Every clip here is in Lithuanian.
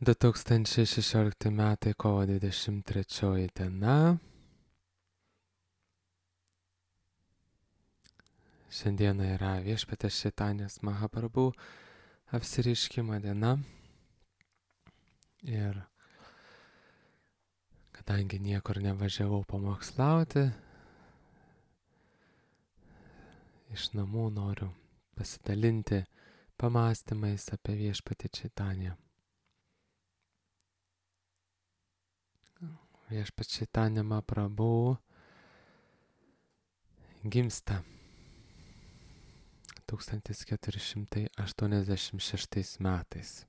2016 metai kovo 23 diena. Šiandieną yra Viešpaties Čaitanijos Mahaprabhu apsireiškimo diena. Ir kadangi niekur nevažiavau pamokslauti, iš namų noriu pasidalinti pamąstymais apie Viešpatį Čaitaniją. Viešpats Čaitanija Mahaprabhu gimsta 1486 metais.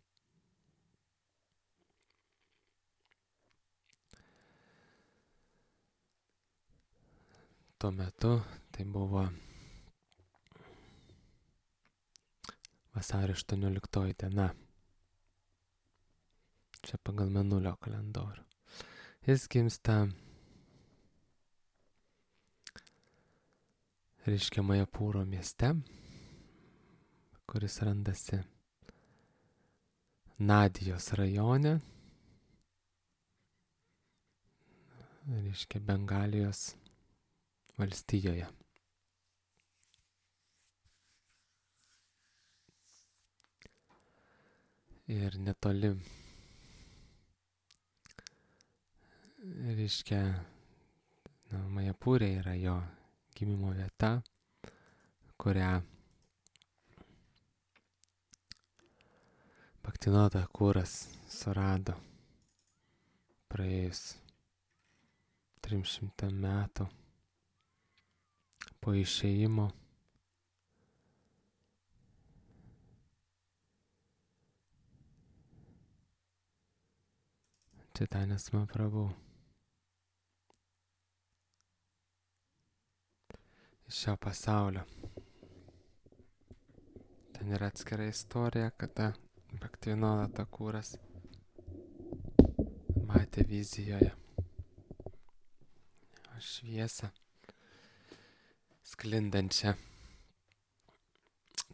Tuo metu tai buvo vasario 18 diena. Čia pagal mėnulio kalendorių. Jis gimsta Majapūro mieste, kuris randasi Nadijos rajone, Bengalijos valstijoje. Ir netoli Majapūrė yra jo gimimo vieta, kurią Bhaktivinoda Thakuras surado praėjus 300 metų po išėjimo Čaitanijos Mahaprabhu iš šio pasaulio. Ten yra atskira istorija, kada Bhaktivinoda Thakuras matė vizijoje šviesą sklindančią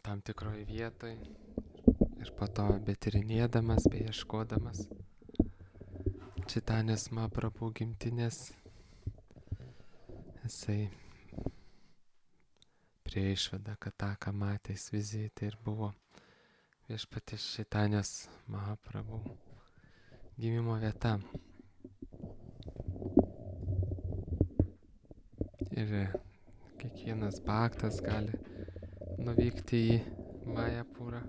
tam tikroje vietoje ir po to betyrinėdamas, beieškodamas Čaitanijos Mahaprabhu gimtinės, jisai prie išvada, kad tą, ką matęs vizijai, tai ir buvo Viešpaties Čaitanijos Mahaprabhu gimimo vieta. Ir kiekvienas bhaktas gali nuvykti į Majapūrą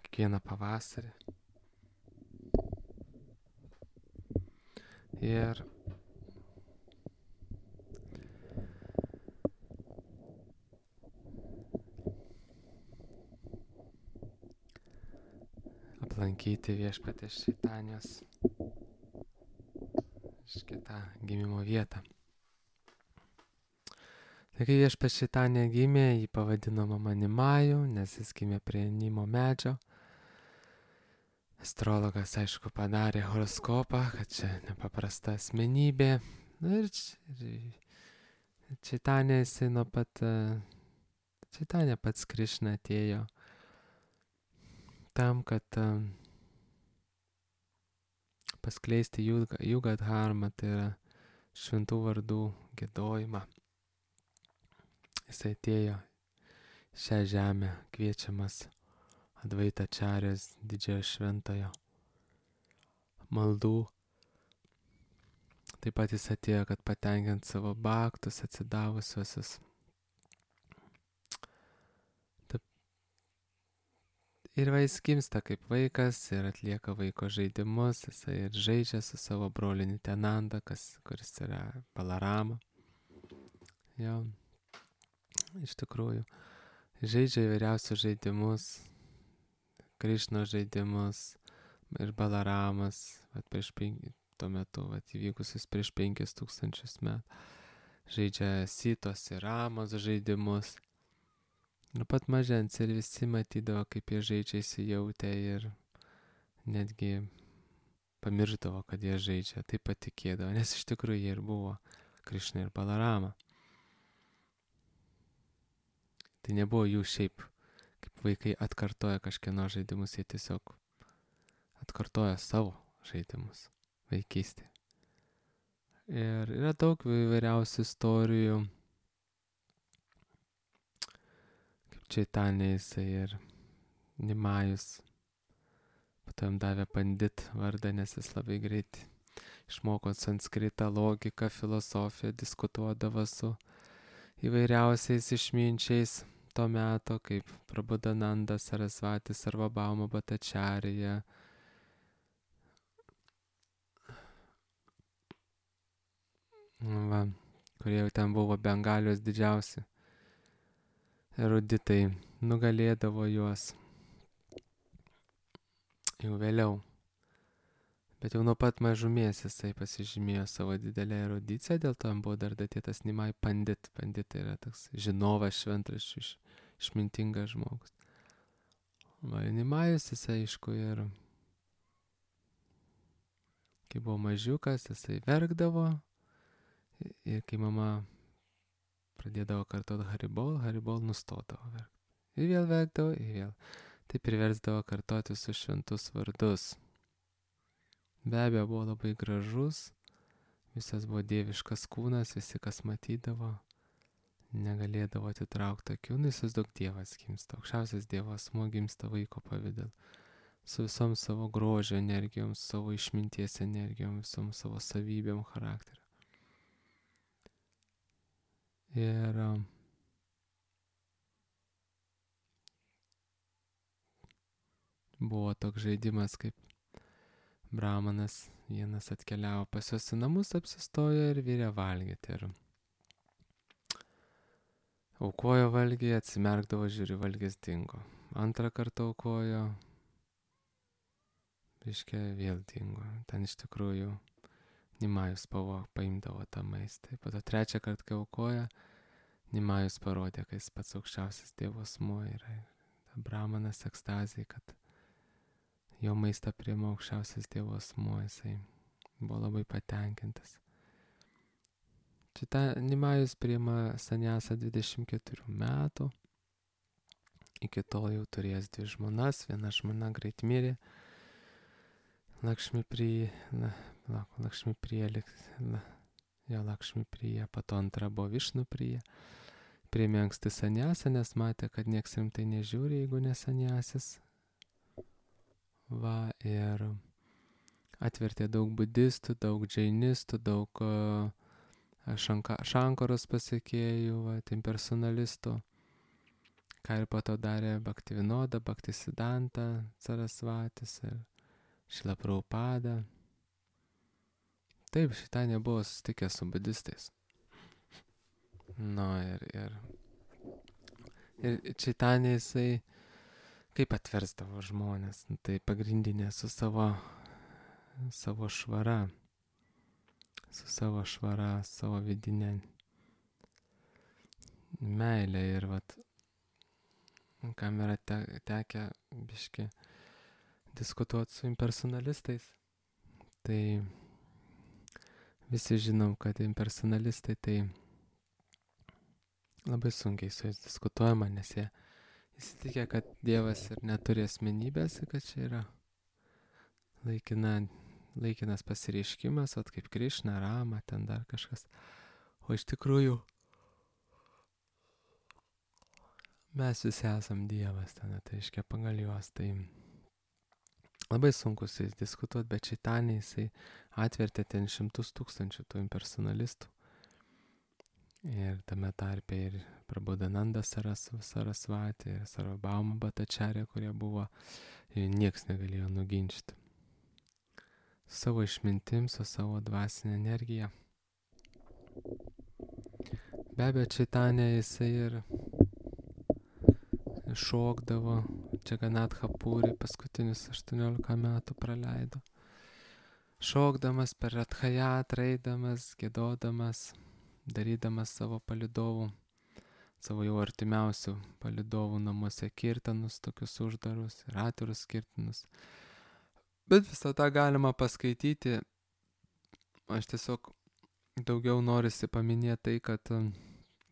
kiekvieną pavasarį. Ir aplankyti Viešpaties Čaitanijos šitą gimimo vietą. Tai kai Viešpats Čaitanija gimė, jį pavadino Mama Nimaju, nes jis gimė prie Nimo medžio. Astrologas, aišku, padarė horoskopą, kad čia nepaprasta asmenybė. Ir Čaitanija, jisai nuo pat Čaitanija pats Krišna atėjo tam, kad paskleisti Jugadharmą, tai yra šventų vardų giedojimą. Jis atėjo šią žemę kviečiamas Advaitačarės didžiojo šventojo maldų. Taip pat jis atėjo, kad patenkint savo bhaktus atsidavusiuosius. Ir jis gimsta kaip vaikas ir atlieka vaiko žaidimus, jisai ir žaidžia su savo broliu Nityananda, kuris yra Balarama. Jo, iš tikrųjų, žaidžia įvairiausius žaidimus, Krišnos žaidimus ir Balaramas, tuo metu įvykusius prieš 5000 metų, žaidžia Sitos ir Ramos žaidimus. Ir pat mažens ir visi matydavo, kaip jie žaidžia, įsijautę ir netgi pamirždavo, kad jie žaidžia, taip patikėdavo, nes iš tikrųjų jie ir buvo Krišna ir Balarama. Tai nebuvo jų šiaip kaip vaikai atkartoja kažkieno žaidimus, jie tiesiog atkartoja savo žaidimus vaikystėje. Ir yra daug įvairiausių istorijų, kaip Čaitanė jisai ir Nimajus. Po to jam davė Pandit vardą, nes jis labai greit išmoko sanskritą, logiką, filosofiją, diskutuodavo su įvairiausiais išminčiais to meto, kaip Prabhudananda, Sarasvati, Sarvabhauma Bhattacharya. Va, kurie jau ten buvo Bengalijos didžiausi eruditai, nugalėdavo juos jau vėliau. Bet jau nuo pat mažumės jisai pasižymėjo savo didelę erudiciją, dėl to jam buvo dar datytas Nimai Pandit. Pandit tai yra toks žinovas, šventraščių, išmintingas žmogus. Va, Nimajus jisai, aišku, ir kai buvo mažiukas, jisai verkdavo. Ir kai mama pradėdavo kartuoti Haribol nustodavo verkti. Ir vėl verkdavo, ir vėl. Tai priversdavo kartuoti visus šventus vardus. Be abejo, buvo labai gražus, visas buvo dieviškas kūnas, visi kas matydavo, negalėdavo atitraukti akių, įsivaizduok Dievas gimsta, aukščiausias Dievo asmuo gimsta vaiko pavidalu, su visom savo grožio energijom, savo išminties energijom, visom savo savybėm, charakteriu. Ir buvo toks žaidimas, kaip brahmanas vienas atkeliavo pas juos į namus, apsistojo ir virė valgyti. Ir aukojo valgį, atsimerkdavo, žiūri, valgis dingo. Antrą kartą aukojo, reiškia, vėl dingo. Ten iš tikrųjų Nimajus paimdavo tą maistą. Po to trečią kartą, kai aukoja, Nimajus parodė, kad jis pats aukščiausias Dievo asmuo yra. Brahmanas ekstazijai, kad jo maistą priima aukščiausias Dievo asmuo, jisai buvo labai patenkintas. Šitą Nimajus priima saniasą 24 metų. Iki tol jau turėjęs 2 žmonas, viena žmona greit mirė. Lakšmi Priya, po to antra buvo Višnu Priya. Priėmė anksti saniasą, nes matė, kad nieks rimtai nežiūri, jeigu ne saniasis. Va, ir atvertė daug budistų, daug džainistų, daug šankaros pasekėjų, va, impersonalistų. Ką ir po to darė Bhaktivinoda, Bhaktisiddhanta, Sarasvatis ir Šrila Prabhupada. Taip, šitą nebuvo susitikęs su budistais. Ir Čaitanė jisai kaip atversdavo žmonės, tai pagrindinė su savo švara, savo vidinė meilė. Ir vat, kam yra tekę biški diskutuoti su impersonalistais, tai visi žinom, kad impersonalistai tai labai sunkiai su jais diskutuojama, nes jie įsitikę, kad Dievas ir neturi asmenybės, kad čia yra laikinas pasireiškimas, vat kaip Krišna, Rama, ten dar kažkas. O iš tikrųjų mes visi esam Dievas, ten, tai reiškia pagal juos. Tai labai sunku su jais diskutuoti, bet Čaitanė jisai atvertė ten 100 000 tų impersonalistų. Ir tame tarpe ir Prabhudananda Sarasvati ir Sarvabhauma Bhattacharya, kurie buvo, nieks negalėjo nuginčyti. Su savo išmintim, su savo dvasinė energija. Be abejo, Čaitanė jisai ir šokdavo, Džaganatha Puri paskutinius 18 metų praleido. Šokdamas per Rathajatrą, eidamas, giedodamas, darydamas savo palidovų, savo jau artimiausių palidovų namuose kirtanus, tokius uždarus ir atvirus kirtanus. Bet visą tą galima paskaityti. Aš tiesiog daugiau norisi paminėti tai, kad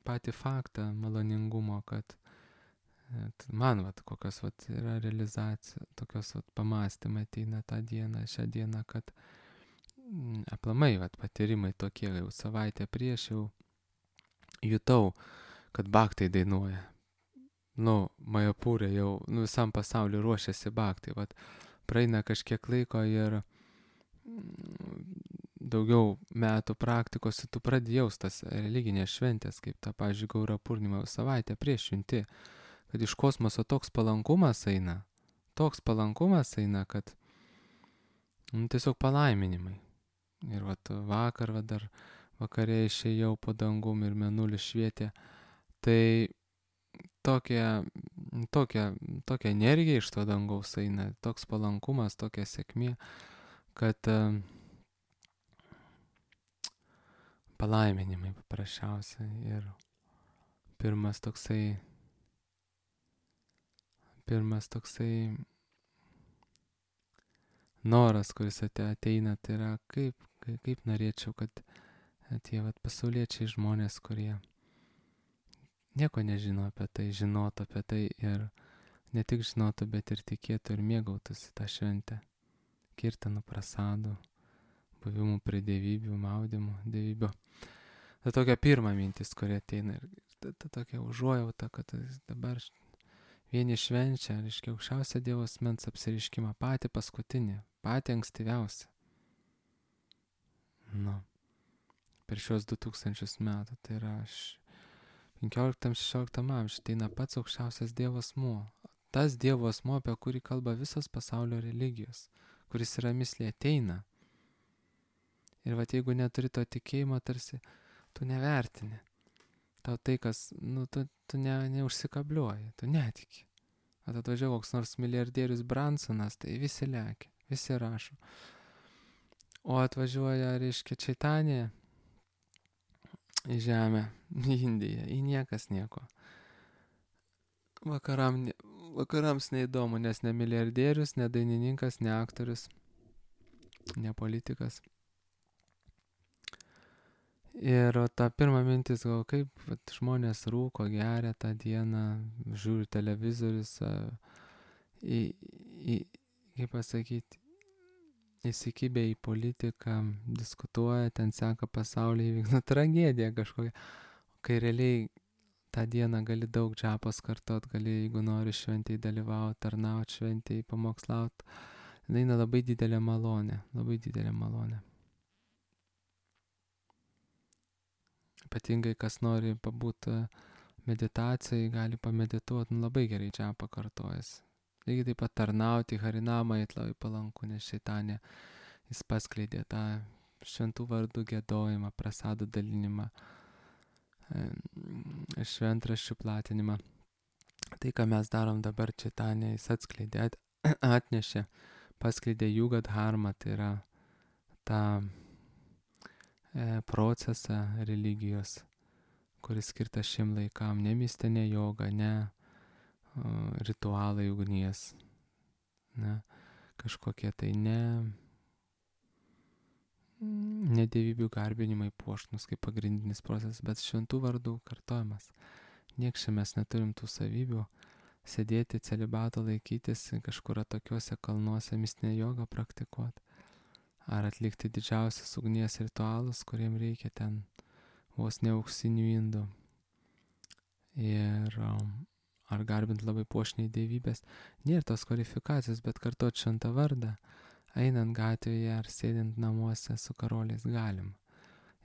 patį faktą maloningumo, kad Man kokios yra realizacija, tokios pamastymai ateina tą dieną, šią dieną, kad aplamai patyrimai tokie, jau savaitę prieš jau jutau, kad baktai dainuoja. Majapūrė jau, visam pasauliu ruošiasi baktai. Praeina kažkiek laiko ir daugiau metų praktikos, tu pradedi jaustas religinės šventės, kaip ta, pavyzdžiui, Gaura Purnima, savaitę prieš junti, kad iš kosmoso toks palankumas eina, kad tiesiog palaiminimai. Ir vakar, dar vakare išėjau po dangum ir mėnulis švietė, tai tokia energija iš to dangaus eina, toks palankumas, tokia sėkmė, kad palaiminimai paprasčiausiai. Ir pirmas toksai noras, kuris ateina, tai yra kaip norėčiau, kad tie pasauliečiai žmonės, kurie nieko nežino apie tai, žinotų apie tai ir ne tik žinotų, bet ir tikėtų ir mėgautųsi tą šventę. Kirtanų, prasadų, buvimų prie dievybių, maudimų dievybių. Tai tokia pirma mintis, kurie ateina, ir ta tokia užuojauta, kad dabar vieni švenčia, reiškia, aukščiausią Dievo asmens apsireiškimą, patį paskutinį, patį ankstyviausią. Per šios 2000 metų, tai yra 15-16 amžiuje, ateina pats aukščiausias Dievo asmuo. Tas Dievo asmuo, apie kurį kalba visos pasaulio religijos, kuris yra mislė, ateina. Ir jeigu neturi to tikėjimo, tarsi tu nevertini. Tau tai, kas, tu neužsikabliuoji, tu netiki. Atvažiavo koks nors milijardierius Bransonas, tai visi lekia, visi rašo. O atvažiuoja, reiškia, Čaitanija į žemę, į Indiją, į niekas nieko. Vakarams neįdomu, nes ne milijardierius, ne dainininkas, ne aktorius, ne politikas. Ir ta pirma mintis, kaip žmonės rūko, geria tą dieną, žiūri televizorius, kaip pasakyti, įsikibę į politiką, diskutuoja, ten seka pasaulį įvykti, tragedija kažkokia. Kai realiai tą dieną gali daug džapos kartot, gali, jeigu nori šventėj dalyvauti, tarnauti šventėj, pamokslauti, eina labai didelė malonė, labai didelė malonė. Ypatingai, kas nori pabūti meditacijai, gali pamedituoti, labai gerai džapą kartojasi. Lygiai taip pat tarnauti Harinamą labai palanku, nes Čaitanija jis paskleidė tą šventų vardų giedojimą, prasadų dalinimą, šventraščių platinimą. Tai, ką mes darom dabar Čaitanija, jis atskleidė, atnešė, paskleidė Juga Dharma, tai yra tą procesą religijos, kuris skirtas šiem laikam, ne mistinė joga, ne ritualai ugnies, ne kažkokie tai ne dievybių garbinimai puošnus kaip pagrindinis procesas, bet šventų vardų kartojimas. Niekščia mes neturim tų savybių sėdėti, celibato laikytis, kažkur tokiuose kalnuose mistinę jogą praktikuoti, ar atlikti didžiausius ugnies ritualus, kuriem reikia ten vos ne auksinių indų. Ir ar garbint labai puošniai dievybės. Nėra tos kvalifikacijos, bet kartuot šventą vardą, einant gatvėje ar sėdint namuose su karoliais galim.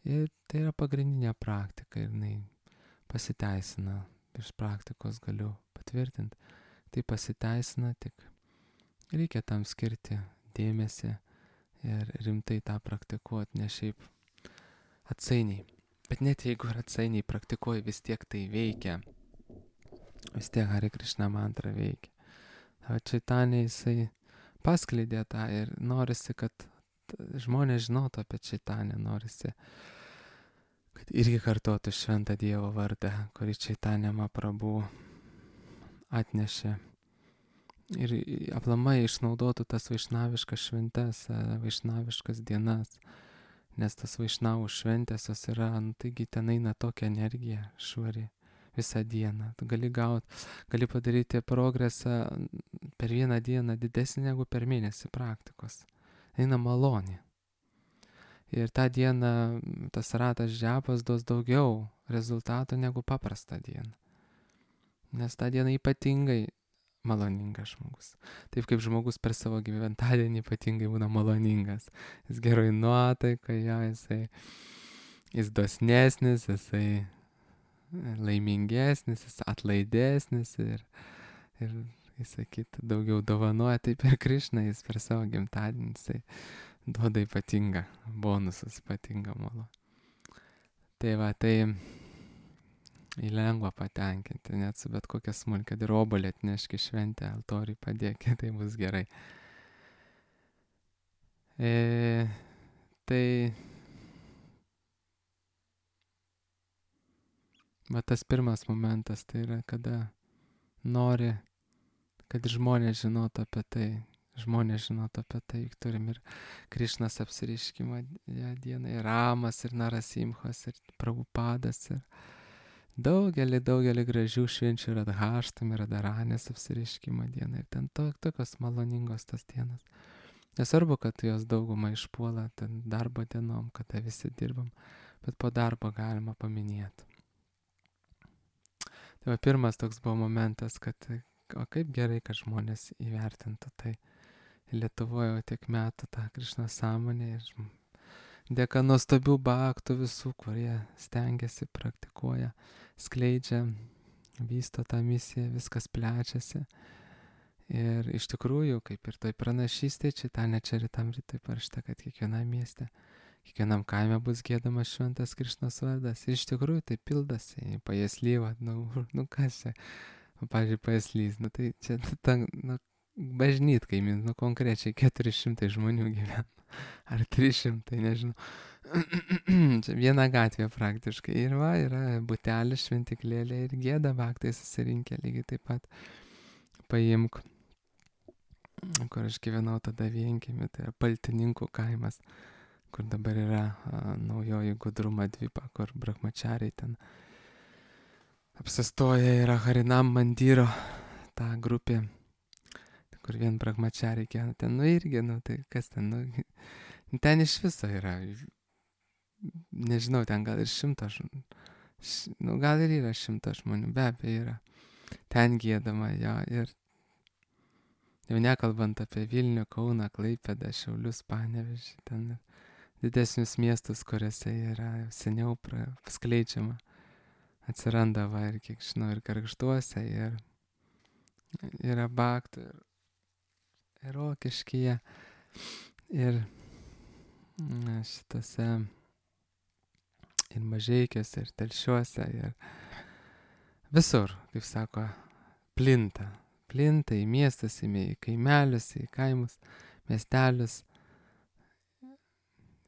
Ir tai yra pagrindinė praktika ir jinai pasiteisina. Iš praktikos galiu patvirtinti. Tai pasiteisina, tik reikia tam skirti dėmesį ir rimtai tą praktikuoti, ne šiaip atsainiai. Bet net jeigu ir atsainiai praktikuoji, vis tiek tai veikia. Vis tiek Hare Krishna mantra veikia. Čaitanija jisai paskleidė tą ir norisi, kad žmonės žinotų apie Čaitaniją, norisi, kad irgi kartotų šventą Dievo vardą, kurį Čaitanija Mahaprabhu atnešė. Ir aplamai išnaudotų tas vaišnaviškas šventes, vaišnaviškas dienas, nes tas vaišnavų šventės jos yra, taigi ten eina tokia energija švari, visą dieną. Tu gali padaryti progresą per vieną dieną didesnį negu per mėnesį praktikos. Eina malonė. Ir tą dieną tas ratas džiapas duos daugiau rezultatų negu paprastą dieną. Nes tą dieną ypatingai maloningas žmogus. Taip kaip žmogus per savo gyventadienį ypatingai būna maloningas. Jis geroj nuotaikoje, jis dosnesnis, jisai laimingesnis, jis atlaidesnis ir sakyt, daugiau dovanoja. Taip ir Krišna, jis per savo gimtadienį, jisai duoda ypatingą bonusus, ypatingą malonę. Tai va, tai lengva patenkinti, net su bet kokia smulkia, kad ir obuolį atneški šventę, altoriui padėki, tai bus gerai. Tai va tas pirmas momentas, tai yra, kada nori, kad žmonės žinotų apie tai. Žmonės žinotų apie tai, juk turim ir Krišnos apsireiškimą dieną, ir Ramas, ir Narasimhas, ir Prabhupadas, ir daugelį gražių švenčių, ir Radhaštami, ir Radharanės apsireiškimo dieną. Ir ten tokios maloningos tas dienas. Nesvarbu, kad jos daugumą išpuola ten darbo dienom, kada visi dirbam, bet po darbo galima paminėti. Tai va, pirmas toks buvo momentas, kad o kaip gerai, kad žmonės įvertintų tai. Lietuvoje jau tiek metų tą Krišnos sąmonę ir dėka nuostabių bhaktų visų, kurie stengiasi, praktikuoja, skleidžia, vysto tą misiją, viskas plečiasi. Ir iš tikrųjų, kaip ir toj pranašystė, Čitanya Čaritamritoje parašyta, kad kiekvienam mieste, kiekvienam kaime bus giedamas šventas Krišnos vardas. Ir iš tikrųjų tai pildasi, Pajaslyva, kas čia, pavyzdžiui, Pajaslys, tai čia bažnyt kaimyn, konkrečiai 400 žmonių gyvena, ar 300, nežinau. Čia viena gatvė praktiškai. Ir va, yra butelis, šventiklėlė ir gėda bhaktai susirinkę lygiai taip pat. Paimk, kur aš gyvenau tada Vienkiemy, tai yra Paltininkų kaimas, kur dabar yra naujoji Gudrumo dvipa, kur brahmachariai ten apsistoja, yra Harinam Mandyro ta grupė, kur vien brahmachariai gyvena. Ten, irgi, tai kas ten, ten iš viso yra, nežinau, ten gal ir 100 žmonių, gal ir yra 100 žmonių, be abejo yra. Ten giedama, jo, ir jau nekalbant apie Vilnių, Kauną, Klaipėdą, Šiaulius, Panevėžį, ten didesnius miestus, kuriuose yra seniau skleidžiama. Atsiranda, va, ir kiek žinau, ir Gargžduose, ir yra bhaktų, ir Rokiškyje, ir šitose, ir Mažeikiuose, ir Telšiuose, ir visur, kaip sako, plinta į miestus, į kaimelius, į kaimus, miestelius.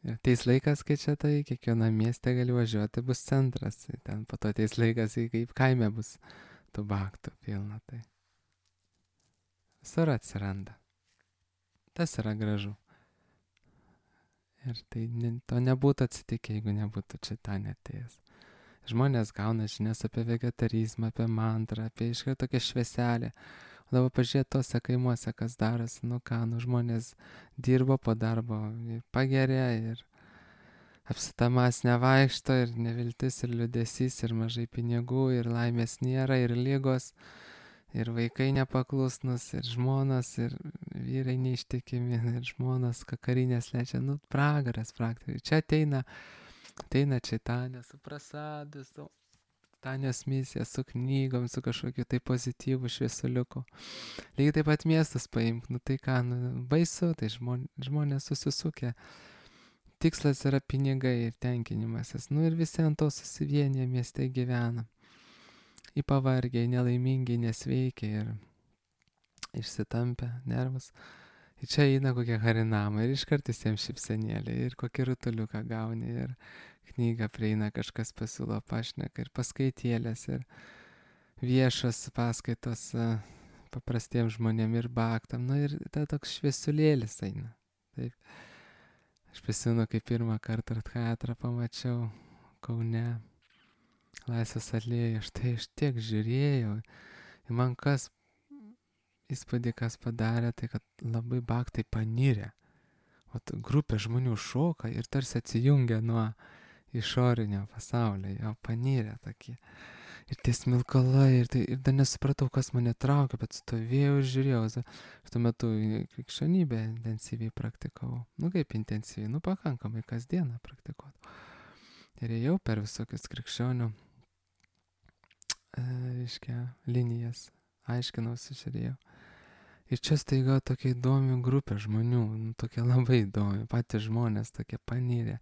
Ir ateis laikas, kai čia tai kiekvienam mieste gali važiuoti, bus centras. Ten po to ateis laikas, kaip kaime bus tų bhaktų pilna. Tai visur atsiranda. Tas yra gražu. Ir tai to nebūtų atsitikę, jeigu nebūtų Čitanya atėjęs. Žmonės gauna žinias apie vegetarizmą, apie mantrą, apie iškart tokią švieselę. O dabar pažiūrėt tose kaimuose, kas darosi, žmonės dirbo po darbo, pageria ir apsitamas nevaikšto, ir neviltis, ir liūdesys, ir mažai pinigų, ir laimės nėra, ir ligos, ir vaikai nepaklusnus, ir žmonos, ir vyrai neištikimi, ir žmonos kakarinės lečia, pragaras praktiškai. Čia ateina Čitanya su prasadu, su Tanės misija, su knygom, su kažkokiu tai pozityvu šviesuliuku. Lygiai taip pat miestus paimk, tai ką, baisu, tai žmonės susisukę. Tikslas yra pinigai ir tenkinimasis. Ir visi ant to susivienyje mieste gyvena. Pavargiai, nelaimingi, nesveikiai ir išsitampę nervus. Ir čia eina kokie harinamai ir iškart visiems šypsenėlė ir kokį rutuliuką gauni ir knygą prieina, kažkas pasiūlo pašneka ir paskaitėlės ir viešos paskaitos paprastiems žmonėm ir bhaktam. Ir ta toks šviesulėlis eina. Taip. Aš prisimenu, kai pirmą kartą Radhayatrą pamačiau Kaune. Laisvės alėja, štai aš tiek žiūrėjau. Ir man kas įspūdį, kas padarė, tai kad labai baktai panirė. O grupė žmonių šoka ir tarsi atsijungia nuo išorinio pasaulio, jo panirė tokie. Ir tie smilkalai, ir dar nesupratau, kas mane traukia, bet stovėjau ir žiūrėjau. Aš tuo metu krikščionybę intensyviai praktikavau. Nu kaip intensyviai, pakankamai kasdieną praktikuodavau. Ir ėjau per visokius krikščionių, linijas, aiškinausi, žiūrėjau. Ir čia staiga tokia įdomi grupė žmonių, tokia labai įdomi, patys žmonės tokie panirė.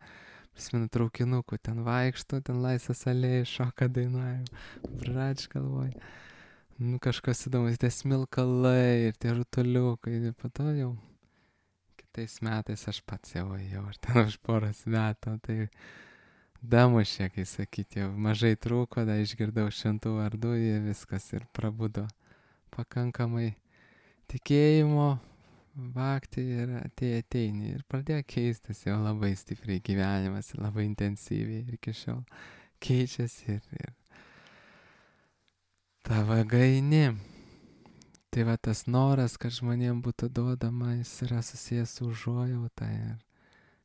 Prisimenu traukinukų, ten vaikšto, ten Laisvės alėjai, šoka dainuoja, brač galvoj. Kažkas įdomus, tie smilkalai ir tie rutuliukai, ir po to jau kitais metais aš pats jau ėjau, ir ten už poros metų, tai damušė, kai sakyti, jau mažai trūko, da išgirdau šventų vardų, jie viskas ir prabudo pakankamai tikėjimo, bakti ir ateini. Ir pradėjo keistis jau labai stipriai gyvenimas, labai intensyviai ir iki šiol keičiasi ir tavo gaini. Tai va tas noras, kad žmonėm būtų duodama, jis yra susijęs su užuojauta ir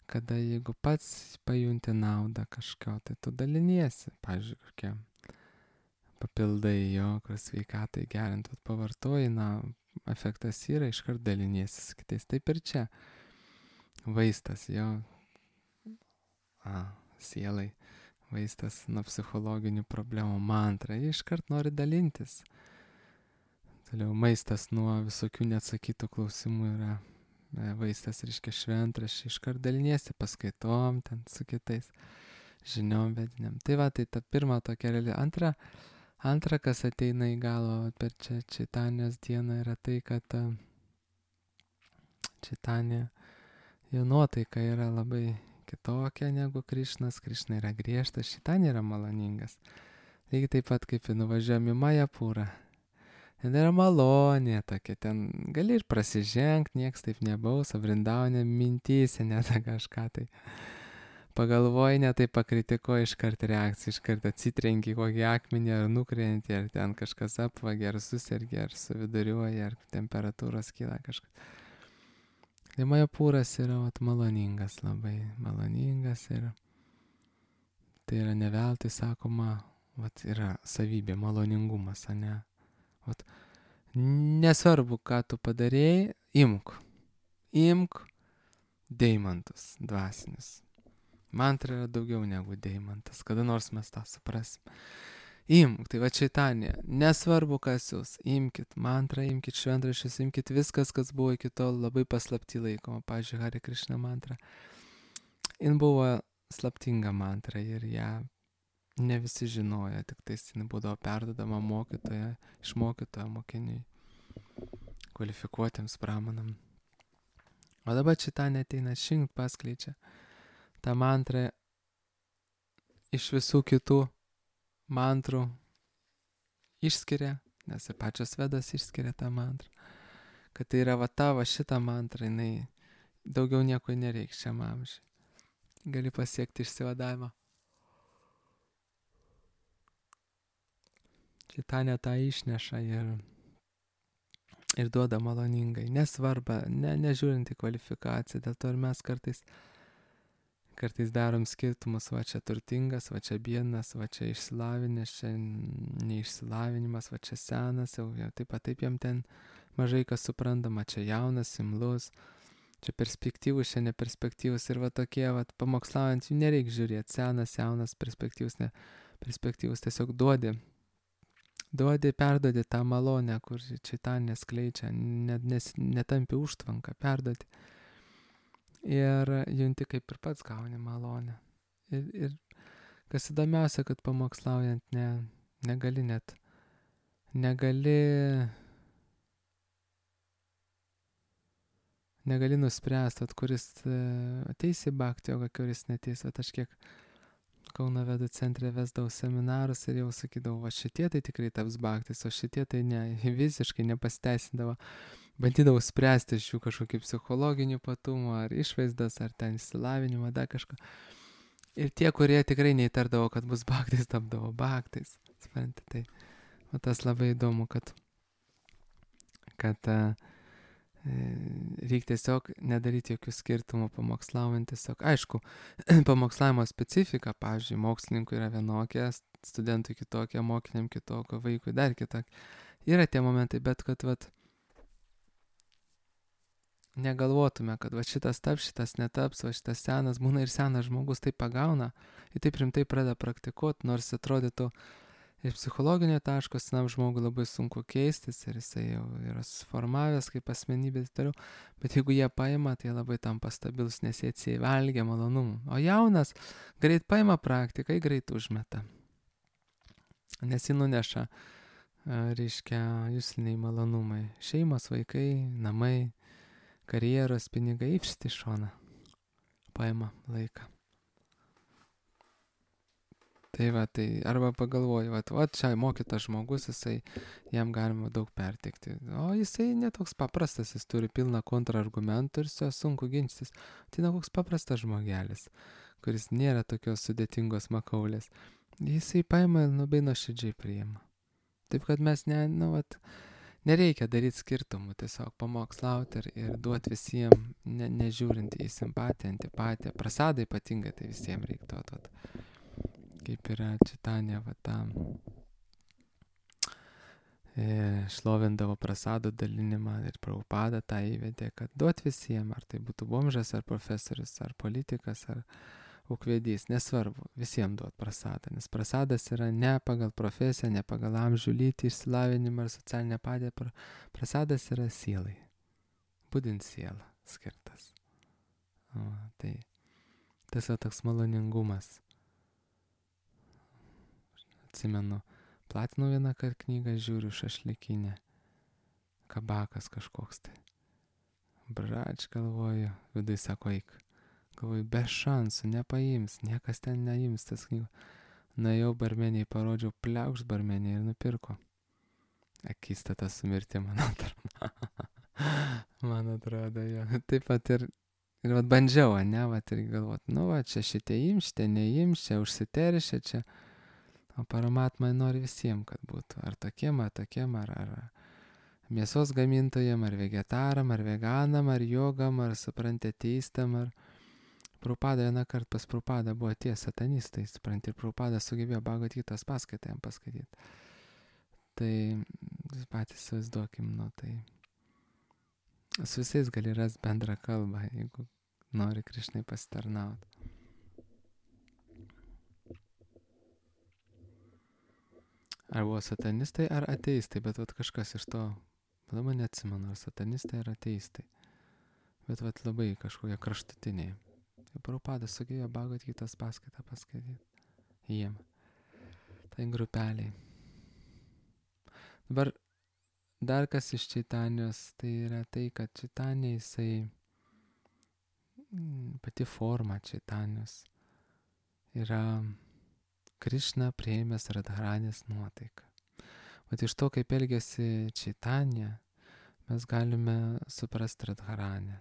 kada jeigu pats pajunti naudą kažko, tai tu daliniesi. Pavyzdžiui, kokie papildai jo, kur sveikatai gerint, pavartoji, efektas yra, iškart daliniesi su kitais. Taip ir čia. Vaistas jo, sielai, vaistas nuo psichologinių problemų, mantra, jie iškart nori dalintis. Toliau maistas nuo visokių neatsakytų klausimų yra vaistas, reiškia šventraščiai, iškart daliniesi paskaitom, ten su kitais žiniom vediniam. Tai va, tai ta pirma tokia reali. Antra, kas ateina į galvą per Čaitanijos dieną, yra tai, kad Čaitanija, jo nuotaika yra labai kitokia negu Krišnas. Krišna yra griežtas, Čaitanija yra maloningas. Lygiai taip pat kaip nuvažiuojam į Majapūrą. Ten yra malonė tokia, ten gali ir prasižengti, nieks taip nebaus, o Vrindaune mintyse net kažką tai pagalvoji, ne tai pakritikuoji, iškart reakcija, iškart atsitrenki kokį akmenį, ar nukrenti, ar ten kažkas apvagi, ar susirgi, ar suviduriuoji, ar temperatūros kyla kažkas. Tai Majapūras yra maloningas, labai maloningas ir tai yra ne veltui sakoma, yra savybė, maloningumas, ane? Nesvarbu, ką tu padarėjai, imk deimantus dvasinius. Mantra yra daugiau negu deimantas, kada nors mes tą suprasim. Imk, tai va Čaitanija, nesvarbu kas jūs, imkit mantrą, imkit šventraščius, imkit viskas, kas buvo iki tol labai paslapti laikoma. Pavyzdžiui, Hare Krishna mantra. Jin buvo slaptinga mantra ir ją ne visi žinojo, tik tais jin būdavo perdodama iš mokytojo mokiniui, kvalifikuotiems pramanam. O dabar Čaitanija ateina šinkt paskleidžia tą mantrą iš visų kitų mantrų išskiria, nes ir pačios Vedos išskiria tą mantrą, kad tai yra tavo šitą mantrą, jinai daugiau nieko nereiks šiam amžiui. Gali pasiekti išsivadavimą. Čaitanija tą išneša ir duoda maloningai. Nesvarba, nežiūrint į kvalifikaciją, dėl to ir mes kartais darom skirtumus, va čia turtingas, va čia biednas, va čia išsilavinęs, čia neišsilavinimas, va čia senas, jau taip jam ten mažai kas suprantama, čia jaunas, imlus, čia perspektyvus, čia neperspektyvus ir va tokie, va pamokslaujant, jų nereikia žiūrėti, senas, jaunas, perspektyvus, ne perspektyvus, tiesiog duodi, perduodi tą malonę, kur Čaitanija skleidžia, netampi užtvanką, perduodi. Ir junti kaip ir pats gauni malonę. Ir kas įdomiausia, kad pamokslaujant negali nuspręsti, kuris ateis į bhakti jogą, kuris neteis. Aš kiek Kauno Vedų centre vesdavau seminarus ir jau sakydavau, va šitie tai tikrai taps bhaktis, o šitie tai ne, visiškai nepasteisindavo. Bandydavau spręsti iš jų kažkokį psichologinių patumų, ar išvaizdas, ar ten išsilavinimą, dar kažką. Ir tie, kurie tikrai neįtardavo, kad bus bhaktais, tapdavo bhaktais. Suprantate, tai o tas labai įdomu, kad reikia tiesiog nedaryti jokių skirtumų pamokslaujant tiesiog. Aišku, pamokslavimo specifika, pavyzdžiui, mokslininkui yra vienokia, studentui kitokia, mokiniam kitokia, vaikui dar kitokia. Yra tie momentai, bet kad negalvotume, kad šitas taps, šitas netaps, šitas senas, būna ir senas žmogus tai pagauna, ir taip rimtai pradeda praktikuoti, nors atrodytų iš psichologinio taško senam žmogui labai sunku keistis ir jisai jau yra susiformavęs kaip asmenybė ir toliau, bet jeigu jie paima, tai labai tampa stabilus, nes jie atsivalgia malonumų. O jaunas greit paima praktiką, greit užmeta, nes jį nuneša, reiškia, jusliniai malonumai. Šeimos, vaikai, namai, karjeros, pinigai, išti šoną. Paima laiką. Tai va, tai arba pagalvoju, va čia mokytas žmogus, jam galima daug perteikti. O jisai netoks paprastas, jis turi pilną kontrargumentų ir su juo sunku ginčytis. Tai koks paprastas žmogelis, kuris nėra tokios sudėtingos makaulės. Jisai paima ir labai nuoširdžiai priima. Taip kad mes nereikia daryti skirtumų, tiesiog pamokslauti ir duoti visiems, nežiūrint į simpatiją, antipatiją. Prasadą ypatingai tai visiems reiktų duoti. Kaip yra Čaitanija, šlovindavo prasadų dalinimą ir Prabhupada tą įvedė, kad duot visiems, ar tai būtų bomžas, ar profesorius, ar politikas, ar ūkvedys, nesvarbu, visiems duot prasadą, nes prasadas yra ne pagal profesiją, ne pagal amžių, lytį, išsilavinimą ar socialinę padėtį, prasadas yra sielai, būdint sielą skirtas. Tai tas yra toks maloningumas. Atsimenu, platinau vieną knygą, žiūriu šašlikinę, kabakas kažkoks tai. Brač, galvoju, vidui sako, eik. Galvoju, be šansų, nepaims, niekas ten neims tas knygų. Nuėjau barmeniai, parodžiau, pliaukšt barmeniai ir nupirko. Akistata su mirti, man atrodo. Man atrodo, jo. Taip pat ir bandžiau, ir galvot, čia šitie ims, šitie neims, čia užsiteršia, čia. O Paramatma nori visiems, kad būtų. Ar tokiem, ar mėsos gamintojam, ar vegetaram, ar veganam, ar jogam, ar supranti ateistam, ar Prabhupada vieną kartą pas Prabhupada buvo tie satanistai, supranti, ir Prabhupada sugebėjo Bhagavad Gitos paskaitą jam paskaityti. Tai patys įsivaizduokim, tai su visais gali rasti bendrą kalbą, jeigu nori Krišnai pasitarnauti. Ar buvo satanistai, ar ateistai, bet kažkas iš to, dabar neatsimenu, ar satanistai, ar ateistai. Bet labai kažkokie kraštutiniai. Ir Prabhupada sugebėjo Bhagavad Gitos paskaitą paskaityti jiem. Tai grupeliai. Dabar dar kas iš Čaitanijos, tai yra tai, kad Čaitanija jisai, pati forma Čaitanijos yra Krišna priėmęs Radharanės nuotaiką. Vat iš to, kaip elgėsi Čaitanija, mes galime suprasti Radharanę.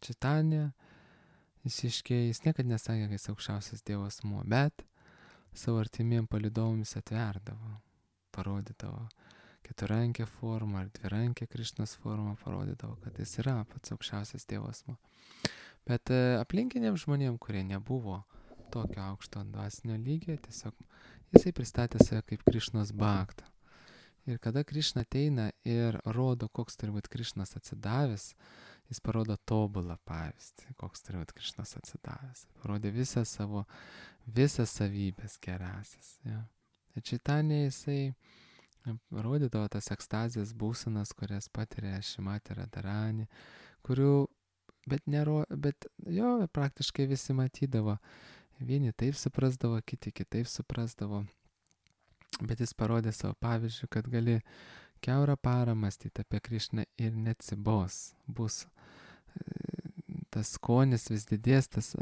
Čaitanija, jis niekad nesakė, kad jis aukščiausias Dievo asmuo, bet savo artimiem palydovams atverdavo, parodydavo keturrankę formą ar dvirankė Krišnos formą, parodydavo, kad jis yra pats aukščiausias Dievo asmuo. Bet aplinkiniams žmonėms, kurie nebuvo tokio aukšto dvasinio lygio, tiesiog jisai pristatė save kaip Krišnos bhaktą. Ir kada Krišna ateina ir rodo, koks turi būti Krišnas atsidavęs, jis parodo tobulą pavyzdį, koks turi būti Krišnas atsidavęs. Parodė visas savybės gerasias. Ja. Ir Čaitanija jisai rodydavo tas ekstazijas būsenas, kurias patiria Šrimati Radharani, kurių, bet jo praktiškai visi matydavo. Vieni taip suprasdavo, kiti kitaip suprasdavo. Bet jis parodė savo pavyzdžių, kad gali kiaurą parą mąstyti apie Krišną ir neatsibos. Bus tas skonis vis didės, tas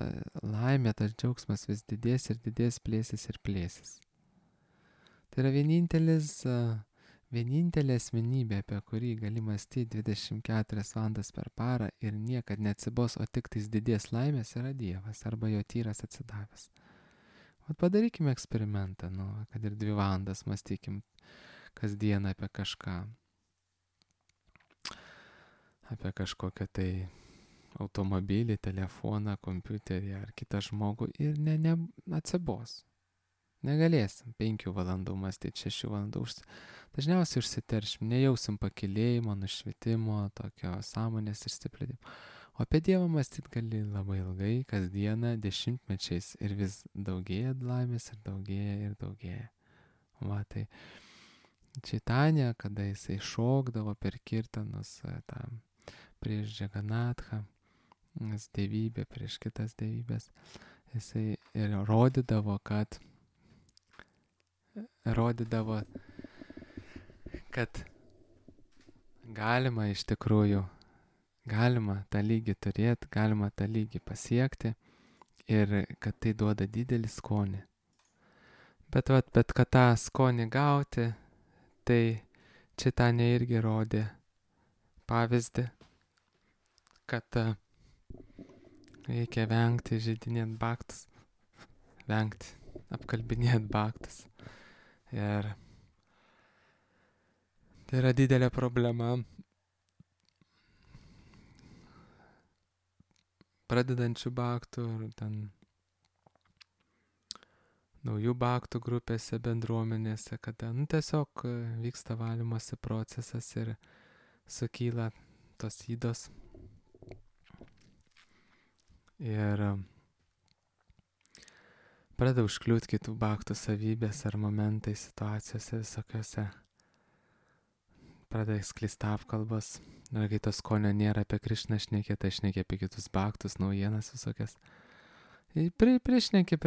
laimė, tas džiaugsmas vis didės ir didės, plėsis ir plėsis. Tai yra vienintelis vienintelė asmenybė, apie kurį gali mąstyti 24 valandas per parą ir niekad neatsibos, o tik tais didės laimės, yra Dievas arba jo tyras atsidavęs. Vat padarykime eksperimentą, kad ir 2 valandas mąstykim kasdieną apie kažką. Apie kažkokią tai automobilį, telefoną, kompiuterį ar kitą žmogų ir atsibos. Negalėsim 5 valandų mąstyti, 6 valandų. Dažniausiai užsiteršim, nejausim pakilėjimo, nušvitimo, tokio sąmonės išsiplėtimo. O apie Dievą mąstyti gali labai ilgai, kasdieną, dešimtmečiais ir vis daugėja laimės ir daugėja ir daugėja. Va, tai Čaitanė, kada jisai šokdavo per kirtanus prieš Džaganathą, dievybę prieš kitas dievybės, jisai ir rodydavo, kad galima iš tikrųjų, galima tą lygį turėti, galima tą lygį pasiekti ir kad tai duoda didelį skonį. Bet kad tą skonį gauti, tai Čaitanė irgi rodė pavyzdį, kad reikia vengti žeidinėt baktus, apkalbinėt baktus. Ir tai yra didelė problema pradedančių baktų ir ten naujų baktų grupėse, bendruomenėse, kada tiesiog vyksta valymosi procesas ir sukyla tos ydos. Ir pradeda užkliūti kitų baktų savybės ar momentai, situacijose visokiose. Pradeda sklisti apkalbos. Ir kai to skonio nėra apie Krišną šnekė, tai šnekė apie kitus baktus, naujienas visokias. Priešnekė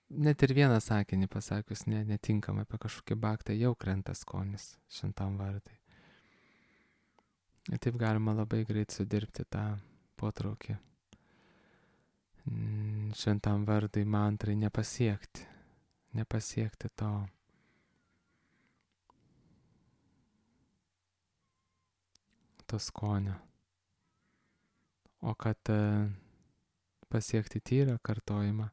net ir vieną sakinį pasakius netinkamai apie kažkokį baktą, jau krenta skonis šventam vardui. Ir taip galima labai greit sudirbti tą potraukį šventam vardui, mantrai, nepasiekti to skonio. O kad pasiekti tyrą kartojimą,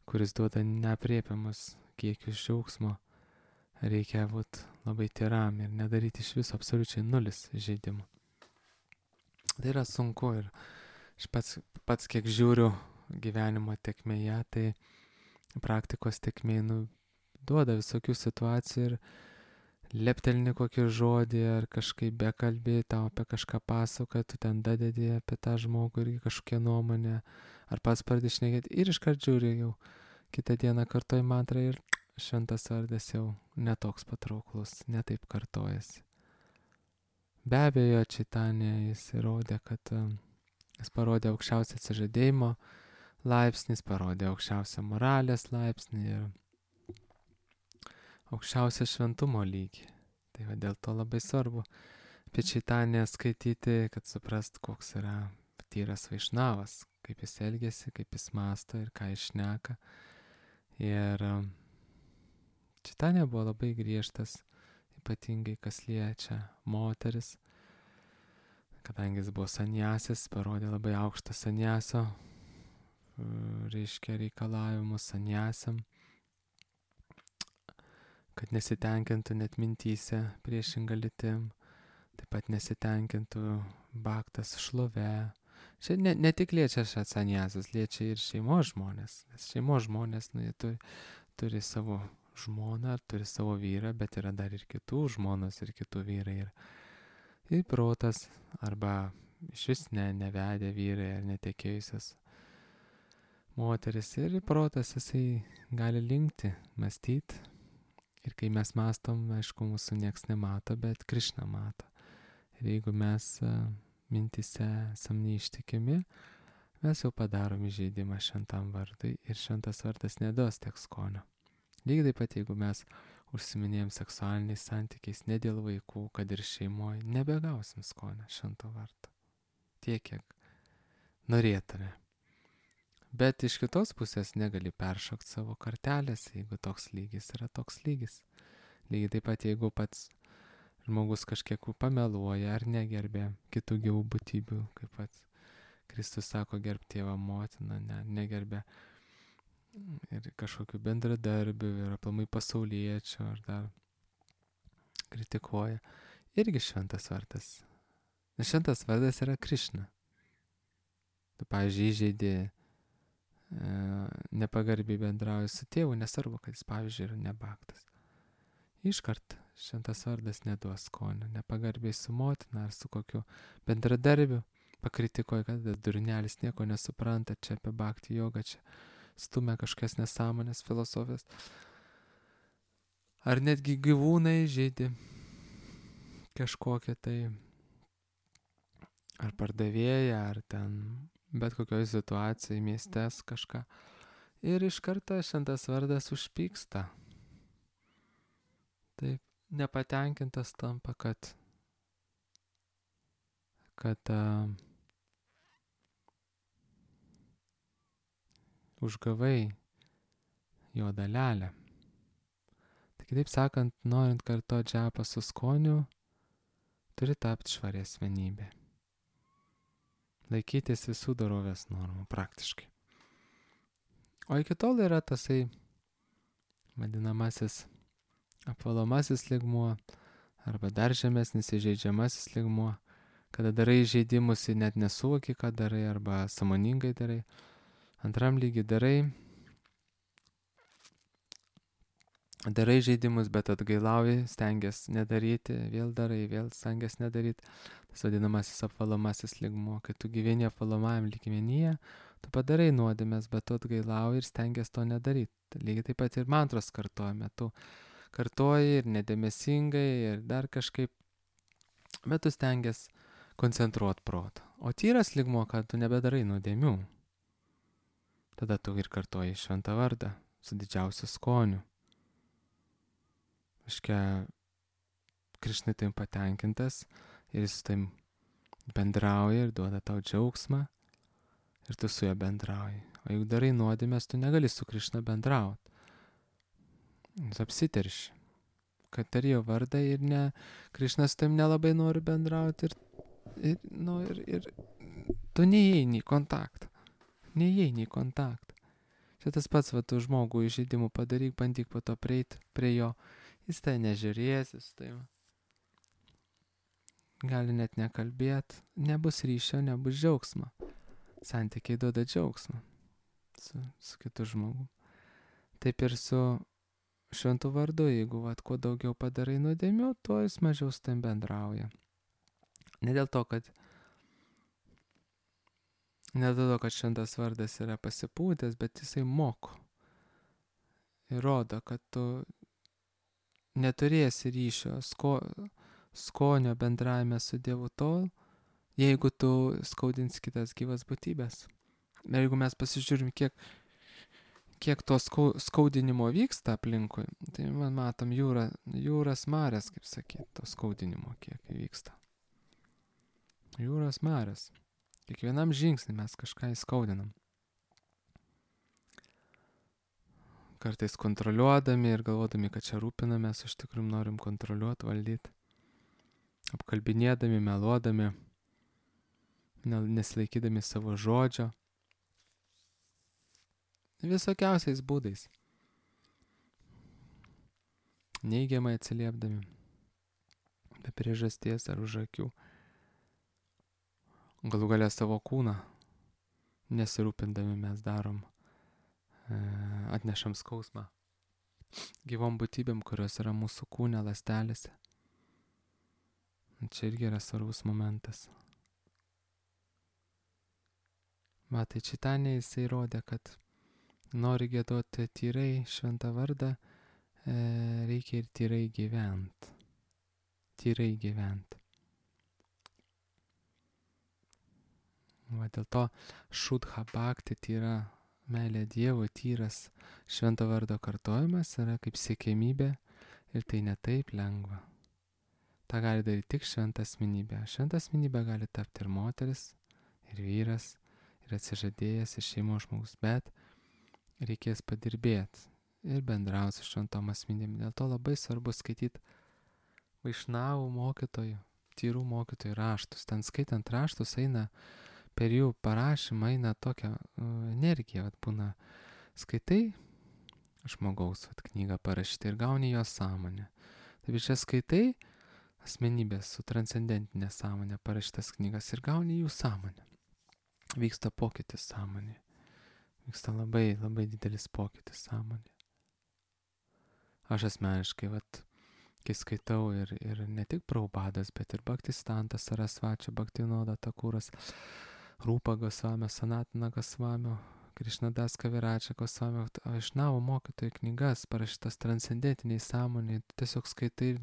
kuris duoda neaprėpiamus kiekius džiaugsmo, reikia būti labai tyram ir nedaryti iš viso absoliučiai 0 žaidimų. Tai yra sunku ir aš pats kiek žiūriu gyvenimo tekmėje, tai praktikos tekmėje duoda visokių situacijų ir leptelni kokį žodį ar kažkaip bekalbį, tau apie kažką pasakoja, tu ten dadedi apie tą žmogų irgi kažkokią nuomonę, ar pats pradedi šnekėti ir iškart žiūri jau kitą dieną kartoji mantrą ir šventas vardas jau netoks patrauklus, netaip kartojasi. Be abejo, Čaitanė jis įrodė, kad jis parodė aukščiausią atsižadėjimo laipsnį, jis parodė aukščiausią moralės laipsnį ir aukščiausią šventumo lygį. Tai va dėl to labai svarbu apie Čaitanę skaityti, kad suprast, koks yra tyras vaišnavas, kaip jis elgiasi, kaip jis mąsto ir ką jis šneka. Ir Čaitanė buvo labai griežtas, ypatingai kas liečia moteris, kadangi jis buvo sanjasis, parodė labai aukštą sanjaso, reiškia reikalavimus sanjasiam, kad nesitenkintų net mintyse priešinga lytim, taip pat nesitenkintų baktas šlove. Čia ne tik liečia šią sanjasus, liečia ir šeimos žmonės, nes šeimos žmonės jie turi savo žmoną, turi savo vyrą, bet yra dar ir kitų žmonos ir kitų vyrai. Ir protas arba iš vis nevedę vyrai ar netekėjusios moteris ir protas jisai gali linkti, mąstyti. Ir kai mes mąstom, aišku, mūsų nieks nemato, bet Krišna mato. Ir jeigu mes mintise esam neištikimi, mes jau padarom įžeidimą šventam vardui ir šventas vardas neduos tiek skonio. Lygiai taip pat, jeigu mes užsiminėjom seksualiniais santykiais ne dėl vaikų, kad ir šeimoje, nebegausim skonio švento vardo. Tiek, kiek norėtume. Bet iš kitos pusės negali peršokti savo kartelės, jeigu toks lygis yra toks lygis. Lygiai taip pat, jeigu pats žmogus kažkiek pameluoja ar negerbė kitų gyvų būtybių, kaip pat Kristus sako, gerb tėvą motiną, negerbė ir kažkokių bendradarbių ir aplamai pasauliečių ar dar kritikuoja. Irgi šventas vardas. Nes šventas vardas yra Krišna. Tu, pavyzdžiui, įžeidė, nepagarbiai bendrauji su tėvu, nesvarbu, kad jis, pavyzdžiui, yra nebaktas. Iškart šventas vardas neduos skonio, nepagarbiai su motina ar su kokiu bendradarbiu, pakritikuoja, kad durnelis nieko nesupranta, čia apie bhakti jogą, čia stumia kažkas nesąmonės filosofijos. Ar netgi gyvūnai žaidė kažkokią tai, ar pardavėją, ar ten bet kokioje situacijoje, miestes kažką. Ir iš karto šventas vardas užpyksta. Taip, nepatenkintas tampa, kad užgavai jo dalelę. Tai kitaip sakant, norint kartoti džapą su skoniu, turi tapti švari asmenybė. Laikytis visų dorovės normų praktiškai. O iki tol yra tasai vadinamasis apvalomasis lygmuo arba dar žemesnis įžeidžiamasis lygmuo, kada darai įžeidimus ir net nesuvoki, ką darai arba sąmoningai darai. Antram lygiai darai žaidimus, bet atgailauji, stengiasi nedaryti, vėl darai, vėl stengiasi nedaryti. Tas vadinamasis apvalomasis lygmuo, kai tu gyveni apvalomajam lygmenyje, tu padarai nuodėmes, bet tu atgailauji ir stengiasi to nedaryti. Lygiai taip pat ir mantros kartojame, tu kartoji ir nedėmesingai ir dar kažkaip, bet tu stengiasi koncentruoti protą. O tyras lygmuo, kad tu nebedarai nuodėmių. Tada tu ir kartoji šventą vardą su didžiausiu skoniu. Aiškia, Krišnai tai patenkintas ir jis tai bendrauja ir duoda tau džiaugsmą ir tu su juo bendrauji. O jeigu darai nuodėmės, tu negali su Krišna bendrauti. Jis apsiterši, kad tari jo vardą ir Krišnas tam nelabai nori bendrauti ir tu neįeini į kontaktą. Čia tas pats, tu žmogų įžeidimų padaryk, bandyk po to prieiti prie jo. Jis tai nežiūrės, jis tai gali net nekalbėti, nebus ryšio, nebus džiaugsmo. Santykiai duoda džiaugsmą su kitu žmogu. Taip ir su šventu vardu, jeigu kuo daugiau padarai nuodėmių, tuo jis mažiau su tam bendrauja. Ne dėl to, kad šventas vardas yra pasipūtęs, bet jisai moko. Ir rodo, kad tu neturėsi ryšio skonio bendravime su Dievu tol, jeigu tu skaudins kitas gyvas būtybės. Ir jeigu mes pasižiūrim, kiek to skaudinimo vyksta aplinkui, tai matom jūras marės, kaip sakyti, to skaudinimo kiek vyksta. Jūros marės. Kiekvienam žingsnį mes kažką įskaudinam. Kartais kontroliuodami ir galvodami, kad čia rūpinamės, iš tikrųjų norim kontroliuoti, valdyti. Apkalbinėdami, meluodami, nesilaikydami savo žodžio. Visokiausiais būdais. Neigiamai atsiliepdami. Be priežasties ar už akių. Galų galia savo kūną nesirūpindami mes darom. Atnešam skausmą gyvom būtybėm, kurios yra mūsų kūne, ląstelėse. Čia irgi yra svarbus momentas. Tai Čaitanija jisai rodė, kad nori giedoti tyrai šventą vardą, reikia ir tyrai gyventi. Dėl to šudha bhakti, tyra meilė Dievui, tyras švento vardo kartojimas yra kaip siekiamybė ir tai ne taip lengva. Ta gali daryti tik šventa asmenybė. Šventa asmenybė gali tapti ir moteris, ir vyras, ir atsižadėjęs, ir šeimos žmogus, bet reikės padirbėti ir bendrauti su šventom asmenybėm. Dėl to labai svarbu skaityti vaišnavų mokytojų, tyrų mokytojų raštus. Ten skaitant raštus eina per jų parašymą, eina tokia energija, vat būna skaitai žmogaus knygą parašyti ir gauni jo sąmonę. Taip čia skaitai asmenybės su transcendentinė sąmonė parašytas knygas ir gauni jų sąmonę. Vyksta pokytis sąmonė. Vyksta labai, labai didelis pokytis sąmonė. Aš asmeniškai, kai skaitau ir ne tik Prabhupadas, bet ir Bhaktistantas Sarasvačia, Bhaktivinoda Thakuras, Rūpa Gosvamio, Sanatina Gosvamio, Krišnadas Kaviračia Gosvamio, Vaišnavų mokytojų knygas parašytas transcendentiniai sąmoniai, tiesiog skaitai ir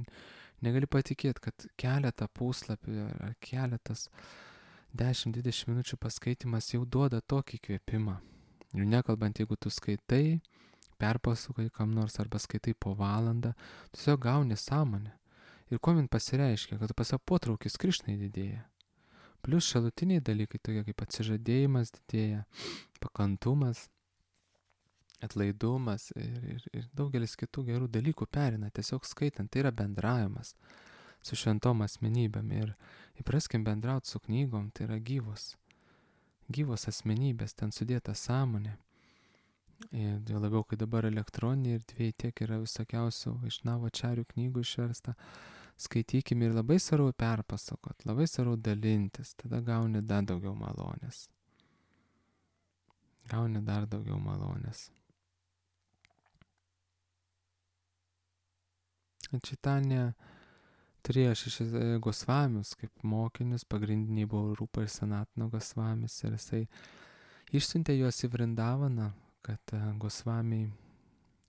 negali patikėti, kad keletą puslapių ar keletas 10-20 minučių paskaitimas jau duoda tokį kvėpimą. Ir nekalbant, jeigu tu skaitai, perpasukai kam nors arba skaitai po valandą, tiesiog gauni sąmonę. Ir kuo man pasireiškia, kad pasak potraukis Krišnai didėja. Plius šalutiniai dalykai, tokie kaip atsižadėjimas didėja, pakantumas, atlaidumas ir daugelis kitų gerų dalykų perina tiesiog skaitant. Tai yra bendravimas su šventom asmenybėm ir įpraskim bendrauti su knygom, tai yra gyvos asmenybės, ten sudėta sąmonė. Ir jau labiau, kai dabar elektroniniai erdvėj tiek yra visokiausių Vaišnavo Ačarių knygų išversta, skaitykim ir labai svarbu perpasakot, labai svarbu dalintis, tada gauni dar daugiau malonės. Čaitanija turėjo 6 Gosvamius kaip mokinius, pagrindiniai buvo Rūpa ir Sanatana Gosvamis ir jisai išsiuntė juos į Vrindavaną, kad Gosvamiai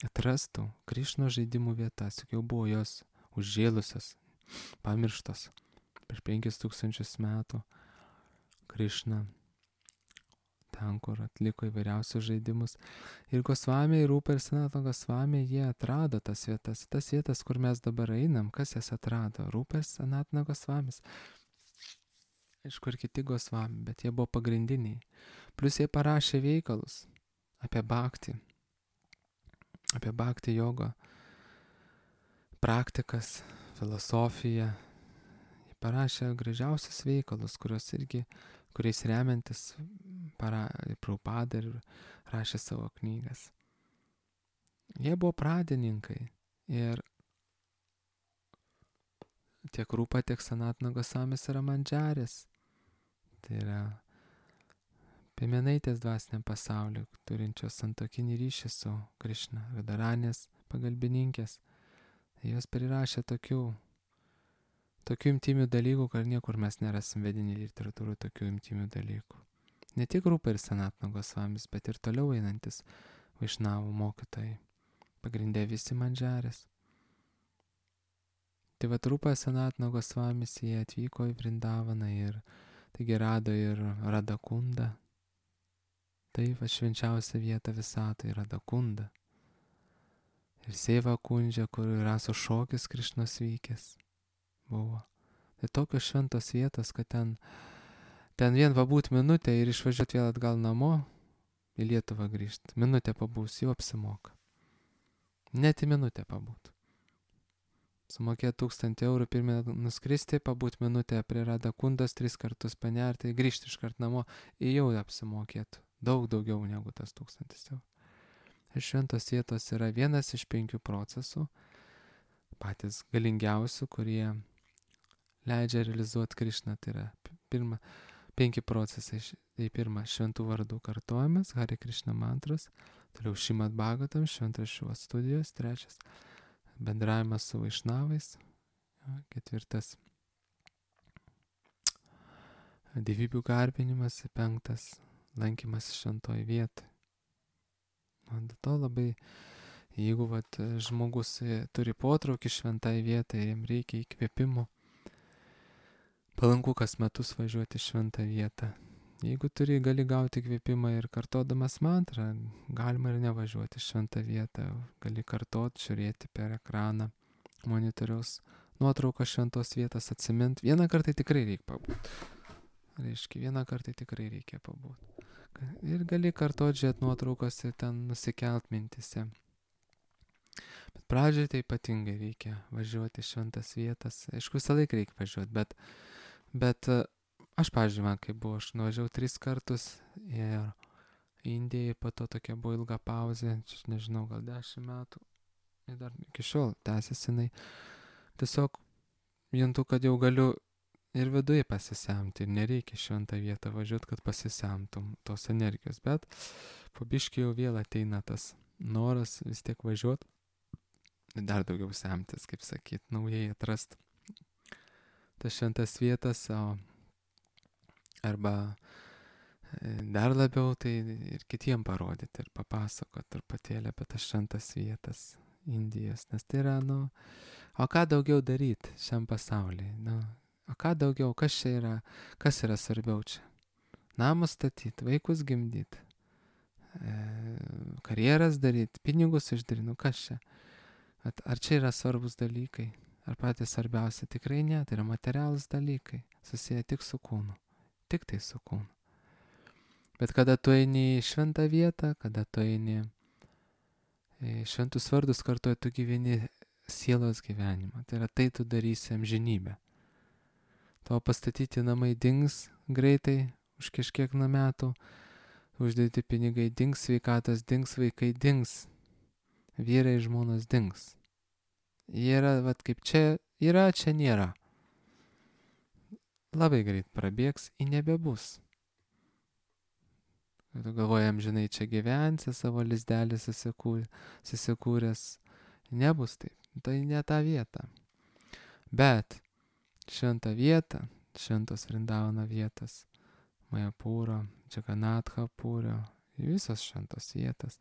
atrastų Krišno žaidimų vietas, juk jau buvo jos užžėlusios, pamirštos prieš 5000 metų. Krišna ten, kur atliko įvairiausius žaidimus. Ir Gosvamiai, Rūpa ir Sanatana Gosvamiai, jie atrado tas vietas, kur mes dabar einam. Kas jas atrado? Rūpa ir Sanatana Gosvamis. Aišku, ir kiti Gosvamiai, bet jie buvo pagrindiniai. Plus jie parašė veikalus apie bhakti jogo, praktikas, filosofiją. Jie parašė gražiausius veikalus, kuriais remiantis Prabhupada ir rašė savo knygas. Jie buvo pradininkai ir tiek Rūpa, tiek Sanatana Gosvamis yra mandžarės. Tai yra piemenaitės dvasiniam pasauliu, turinčios santuokinį ryšį su Krišna, Radaranės pagalbininkės. Jos prirašė tokių intymių dalykų, kad niekur mes nerasim vedinį literatūrų tokių intymių dalykų. Ne tik Rūpa ir Sanatana Gosvamis, bet ir toliau einantis Vaišnavų mokytojai. Pagrindė visi mandžarės. Tai Rūpa Sanatana Gosvamis, jie atvyko į Vrindavaną ir taigi rado ir Radakundą. Tai švenčiausia vieta visatoje Radakunda. Ir Seva Kundžia, kur raso šokis Krišnos vykęs buvo. Tai tokios šventos vietos, kad ten vien pabūt minutę ir išvažiuoti vėl atgal namo, į Lietuvą grįžti. Minutę pabūs, jau apsimoka. Net į minutę pabūt. Sumokėti 1000 eurų, pirmie nuskristi, pabūt minutę prie Radakundos, 3 kartus panerti, grįžti iškart namo, jau apsimokėtų. Daug daugiau negu tas 1000 eurų. Ir šventos vietos yra vienas iš 5 procesų, patys galingiausių, kurie leidžia realizuoti Krišną. Tai yra 5 procesai. Tai pirma, šventų vardų kartojimas, Hare Krišna mantros, toliau Šrimad Bhagavatam, šventraščių studijos, 3, bendravimas su Vaišnavais, 4, dievybių garbinimas, 5, lankymas šventoj vietoj. Dėl to labai, jeigu žmogus turi potraukį šventai vietai, jam reikia įkvėpimo, palanku kas metus važiuoti šventą vietą. Jeigu gali gauti įkvėpimą ir kartodamas mantrą, galima ir nevažiuoti šventą vietą, gali kartoti, žiūrėti per ekraną monitoriaus nuotrauką šventos vietos, atsimint. Vieną kartą tikrai reikia pabūti. Vieną kartą tikrai reikia pabūti. Ir gali kartoti, žiūrėti nuotraukose, ten nusikelt mintise. Bet Pradžioj tai ypatingai reikia važiuoti šventas vietas. Aišku, visą laiką reikia važiuoti, bet aš, pavyzdžiui, man kaip buvo, aš nuvažiavau 3 kartus ir Indijai, po to tokia buvo ilga pauzė, čia nežinau, gal 10 metų. Ir dar iki šiol tęsiasi jinai. Tiesiog juntu, kad jau galiu ir viduje pasisemti ir nereikia šventą vietą važiuoti, kad pasisemtum tos energijos, bet po biškį jau vėl ateina tas noras vis tiek važiuoti, dar daugiau semtis, kaip sakyt, naujai atrast tas šventas vietas, arba dar labiau tai ir kitiem parodyti ir papasakot truputėlį apie tas šventas vietas Indijos, nes tai yra, o ką daugiau daryti šiam pasaulyje, o ką daugiau, kas čia yra, kas yra svarbiau čia? Namus statyti, vaikus gimdyti, karjeras daryti, pinigus uždaryti, kas čia? Ar čia yra svarbus dalykai? Ar patys svarbiausia? Tikrai ne, tai yra materialūs dalykai, susiję tik su kūnu, tik tai su kūnu. Bet kada tu eini į šventą vietą, kada tu eini šventus vardus kartuoji, tu gyveni sielos gyvenimą. Tai yra tai tu darysi amžinybę. Tavo pastatyti namai dings greitai, už kažkiek metų, uždėti pinigai dings, sveikatos dings, vaikai dings, vyrai žmonos dings. Jie yra, kaip čia yra, čia nėra. Labai greit prabėgs, nebebus. Tu galvojam, žinai, čia gyvensi, savo lizdelį susikūręs. Nebus taip. Tai ne ta vieta. Bet šventą vietą, šventos Vrindavano vietas, Majapūro, Džaganatha Pūrio, visos šventos vietas,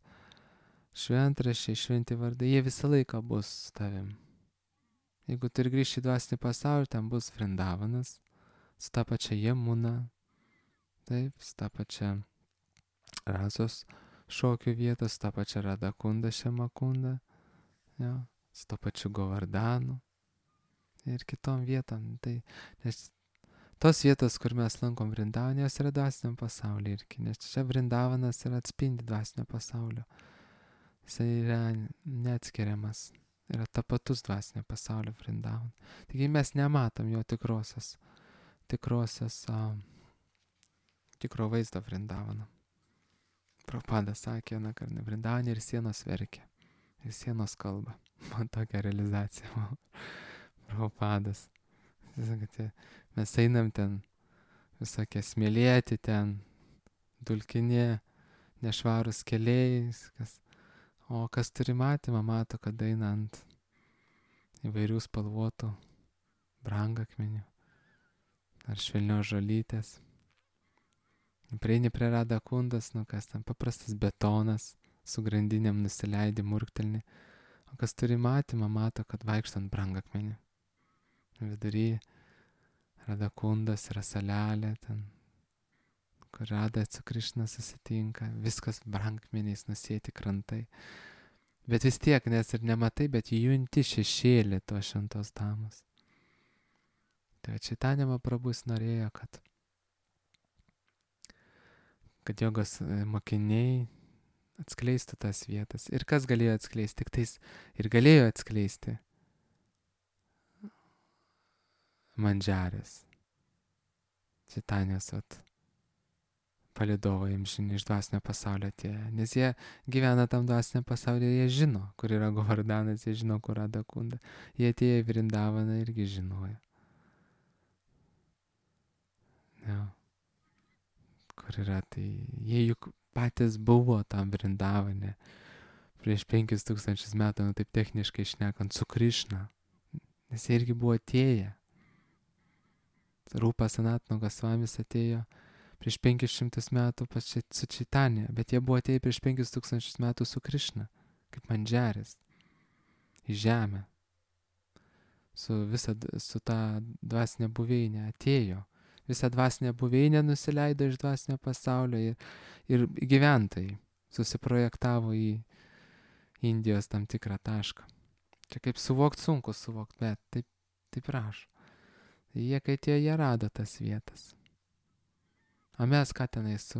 šventraščiai, šventi vardai, jie visą laiką bus su tavim. Jeigu tu ir grįši į dvasinį pasaulį, ten bus Vrindavanas, su ta pačia Jamuna, taip, su ta pačia Rasos šokių vietos, tą pačią Radakundą, Šemakundą, su to pačiu Govardanu ir kitom vietom. Tai, nes tos vietos, kur mes lankom Vrindavaną, jos yra dvasiniam pasaulyje irgi, nes čia Vrindavanas yra atspindi dvasinio pasaulio. Jis yra neatskiriamas, yra tapatus dvasinio pasaulio Vrindavana. Taigi mes nematom jo tikro vaizdo Vrindavano. Prabhupada sakė, kad Vrindavane ir sienos verkia, ir sienos kalba. Man tokia realizacija. Prabhupadas. Mes einam ten visokie smėlėti, ten dulkinė, nešvarus keliai, o kas turi matymą, mato, kad eina ant įvairių spalvotų brangakmenių ar švelnios žolytės. Prieini prie Radakundos, kas ten paprastas betonas, su grandinėm nusileidi, murktelni. O kas turi matymą, mato, kad vaikštant brangakmenį. Vidury Radakundos yra salelė, ten, kur Rada su Krišna susitinka. Viskas brangakmeniais nusėti krantai. Bet vis tiek, nes ir nematai, bet junti šešėlį to šventos damos. Tai Čaitanija Mahaprabhus norėjo, kad jogos mokiniai atskleistų tas vietas. Ir kas galėjo atskleisti? Tik tais ir galėjo atskleisti Mandžarės. Čaitanijos palydovai amžini iš dvasinio pasaulio atėję. Nes jie gyvena tam dvasinio pasaulio, jie žino, kur yra Govardanas, jie žino, kur Radakunda. Jie atėję į Vrindavaną irgi žinojo. Kur yra, tai jie juk patys buvo tam Vrindavane prieš 5000 metų, taip techniškai šnekant, su Krišna. Nes jie irgi buvo atėję. Rūpa Sanatana Gosvamis atėjo prieš 500 metų su Čaitanija, bet jie buvo atėję prieš 5000 metų su Krišna, kaip Mandžaris, į žemę. Su ta dvasinė buveinė atėjo. Visą dvasinę buveinę nusileido iš dvasinio pasaulio ir gyventojai susiprojektavo į Indijos tam tikrą tašką. Čia kaip sunku suvokti, bet taip rašo. Jie, kai jie rado tas vietas. O mes ką tenai su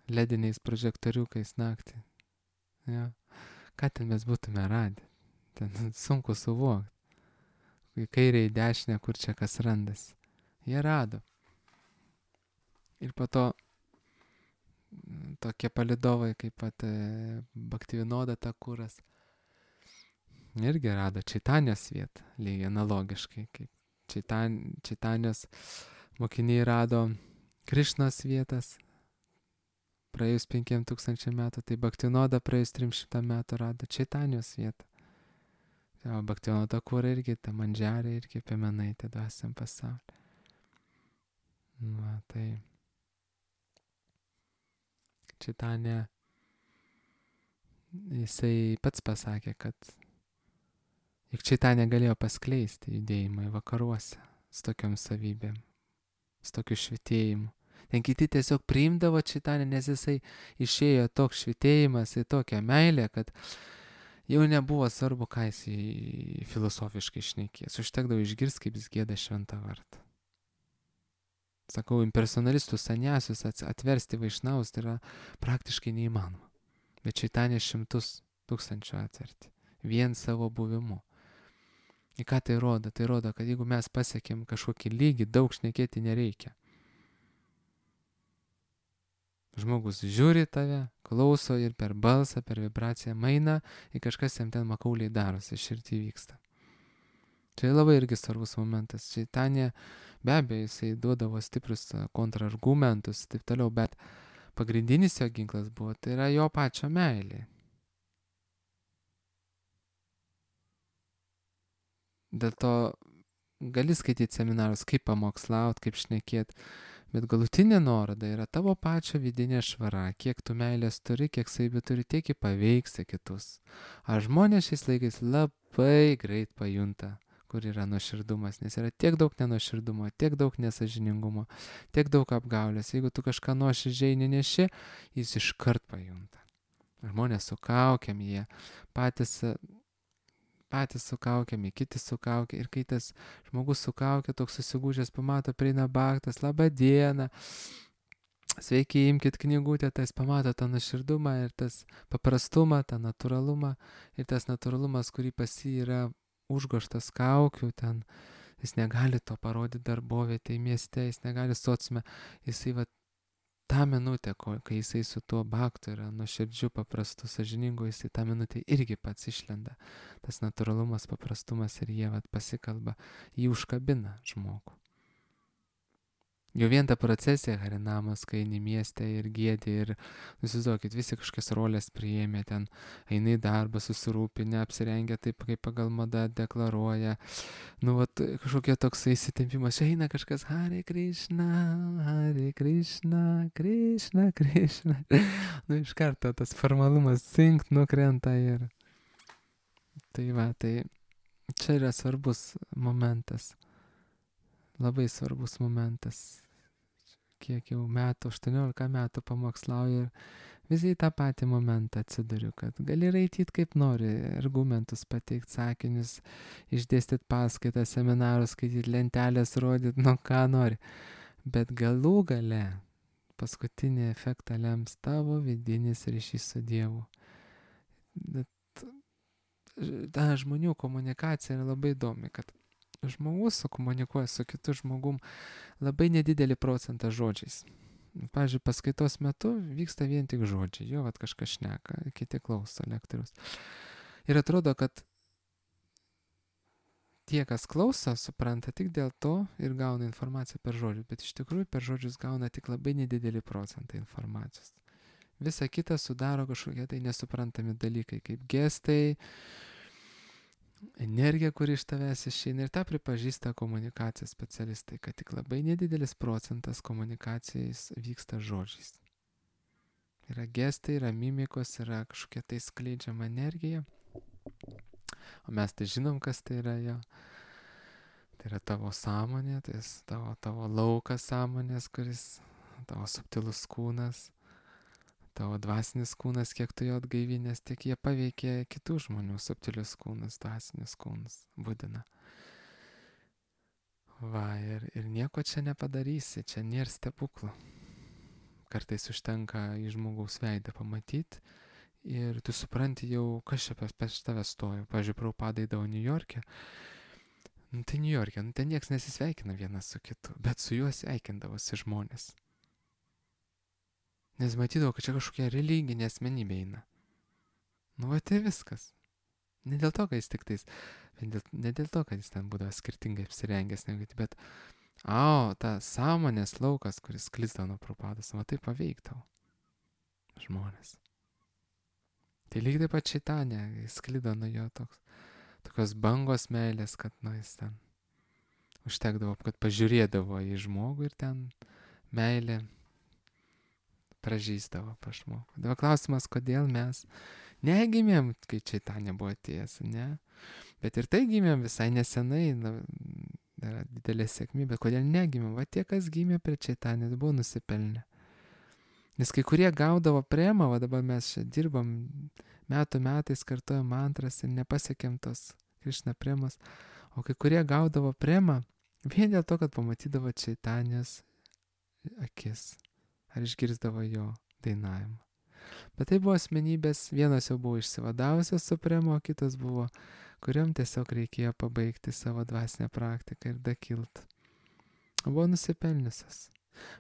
lediniais prožektoriukais naktį. Ja. ką ten mes būtume radę. Ten sunku suvokti. Į kairę, į dešinę, kur čia kas randasi. Jie rado. Ir po to tokie palidovai, kaip pat Bhaktivinoda Thakuras, irgi rado Čaitanijos vietą, lygiai analogiškai, kaip Čaitanijos mokiniai rado Krišnos vietas praėjus 5000 metų, tai Bhaktivinoda praėjus 300 metų rado Čaitanijos vietą. O Bhaktivinoda Thakura irgi, ta Mandžarė irgi piemenaitė dvasiam pasaulį. Va, tai Čaitanija, jisai pats pasakė, kad juk Čaitanija galėjo paskleisti judėjimą į vakaruose su tokiom savybėm, su tokiu švitėjimu. Ten kiti tiesiog priimdavo Čaitanę, nes jisai išėjo toks švitėjimas į tokią meilę, kad jau nebuvo svarbu, ką jis filosofiškai šnekės. Užtekdavo išgirsti, kaip jis gieda šventą vardą. Sakau, impersonalistus, saniasius atversti vaišnavus tai yra praktiškai neįmanoma. Bet Čaitanė 100 000 atverti. Vien savo buvimu. Į ką tai rodo? Tai rodo, kad jeigu mes pasiekėm kažkokį lygį, daug šnekėti nereikia. Žmogus žiūri tave, klauso ir per balsą, per vibraciją maina į kažkas jam ten makauliai darosi, širdį vyksta. Čia labai irgi svarbus momentas. Čaitanė, be abejo, jisai duodavo stiprius kontrargumentus, taip toliau, bet pagrindinis jo ginklas buvo, tai yra jo pačio meilė. Dėl to gali skaityti seminarus, kaip pamokslaut, kaip šnekėti, bet galutinė nuoroda yra tavo pačio vidinė švara, kiek tu meilės turi, kiek savybių turi, tiek paveiksi kitus. Ar žmonės šiais laikais labai greit pajunta, kur yra nuoširdumas, nes yra tiek daug nenuoširdumo, tiek daug nesažiningumo, tiek daug apgaulės. Jeigu tu kažką nuoširdžiai neneši, jis iškart pajunta. Žmonės su kaukiam, jie patys su kaukiami, kiti su kaukia. Ir kai tas žmogus su kaukia, toks susigūžęs pamato, prieina bhaktas, labą dieną, sveiki, imkit knygutę, tai jis pamato tą nuoširdumą ir tas paprastumą, tą natūralumą. Ir tas natūralumas, kurį pas jį yra užgoštas kaukių, ten jis negali to parodyti darbovietėje, mieste, jis negali sociume, jisai va tą minutę, kai jisai su tuo bhaktu yra nuoširdžiu, paprastu, sąžiningu, jisai tą minutę irgi pats išlenda. Tas natūralumas, paprastumas ir jie va pasikalba, jį užkabina žmogų. Jau vien ta procesija Harinamos, kai eini mieste ir giedi ir, įsivaizduokit, visi kažkokias rolės priėmė, ten eina į darbą, susirūpinę, apsirengia taip, kaip pagal madą deklaruoja. Nu, vat, kažkokia toks įsitempimas, eina kažkas Hare Krishna, Krishna, Krishna. Nu, iš karto tas formalumas cinkt nukrenta ir... Tai va, tai čia yra svarbus momentas. Labai svarbus momentas. Kiek jau metų, 18 metų pamokslauju ir visai tą patį momentą atsiduriu, kad gali raityti kaip nori, argumentus pateikti, sakinius, išdėstyti paskaitą, seminarus, skaityti lentelės, rodyti, nu ką nori. Bet galų gale paskutinį efektą lems tavo vidinis ryšys su Dievu. Ta žmonių komunikacija yra labai įdomi, kad žmogus komunikuoja su kitu žmogum labai nedidelį procentą žodžiais. Pavyzdžiui, paskaitos metu vyksta vien tik žodžiai, jo vat kažkas šneka, kiti klauso lektorius. Ir atrodo, kad tie, kas klauso, supranta tik dėl to ir gauna informaciją per žodžius, bet iš tikrųjų per žodžius gauna tik labai nedidelį procentą informacijos. Visa kita sudaro kažkokie tai nesuprantami dalykai, kaip gestai, energija, kuri iš tavęs išeina, ir tą pripažįsta komunikacijos specialistai, kad tik labai nedidelis procentas komunikacijais vyksta žodžiais. Yra gestai, yra mimikos, yra kažkokia tai skleidžiama energija, o mes tai žinom, kas tai yra jo. Tai yra tavo sąmonė, tai tavo laukas sąmonės, kuris tavo subtilus kūnas, tavo dvasinis kūnas, kiek tu jo atgaivinės, tiek jie paveikia kitų žmonių subtilius kūnus, dvasinius kūnus, būdina. Va, ir nieko čia nepadarysi, čia nėra stebuklų. Kartais užtenka į žmogaus veidą pamatyti ir tu supranti jau, kas čia pas tave stojo. Pavyzdžiui, Prabhupada eidavo Niujorke. Nu, tai Niujorke, nu, ten nieks nesisveikina vienas su kitu, bet su juo sveikindavosi žmonės. Nes matydavo, kad čia kažkokia religinė asmenybė eina. Nu, va tai viskas. Ne dėl to, kad jis tik tais, ne dėl to, kad jis ten būdavo skirtingai apsirengęs, negu kiti, bet, ta sąmonės laukas, kuris sklisdavo nuo Prabhupados, va tai paveikdavo žmonės. Tai lygiai taip pat Čaitanė, sklido nuo jo tokios bangos meilės, kad, nu, jis ten užtekdavo, kad pažiūrėdavo į žmogų ir ten meilė pražįstavo pa žmogų. Dabar klausimas, kodėl mes negimėm, kai Čaitanė buvo atėjęs, ne? Bet ir tai gimėm visai nesenai, yra didelė sėkmė, bet kodėl negimėm? Va tie, kas gimė prie Čaitanės, buvo nusipelnę. Nes kai kurie gaudavo premą, va dabar mes čia dirbam, metų metais kartuojam mantras ir nepasiekėm tos Krišna premos, o kai kurie gaudavo premą vien dėl to, kad pamatydavo Čaitanės akis ar išgirzdavo jo dainavimą. Bet tai buvo asmenybės, vienas jau buvo išsivadavusios su premo, o kitas buvo, kuriam tiesiog reikėjo pabaigti savo dvasinę praktiką ir dakilt. Buvo nusipelniusios.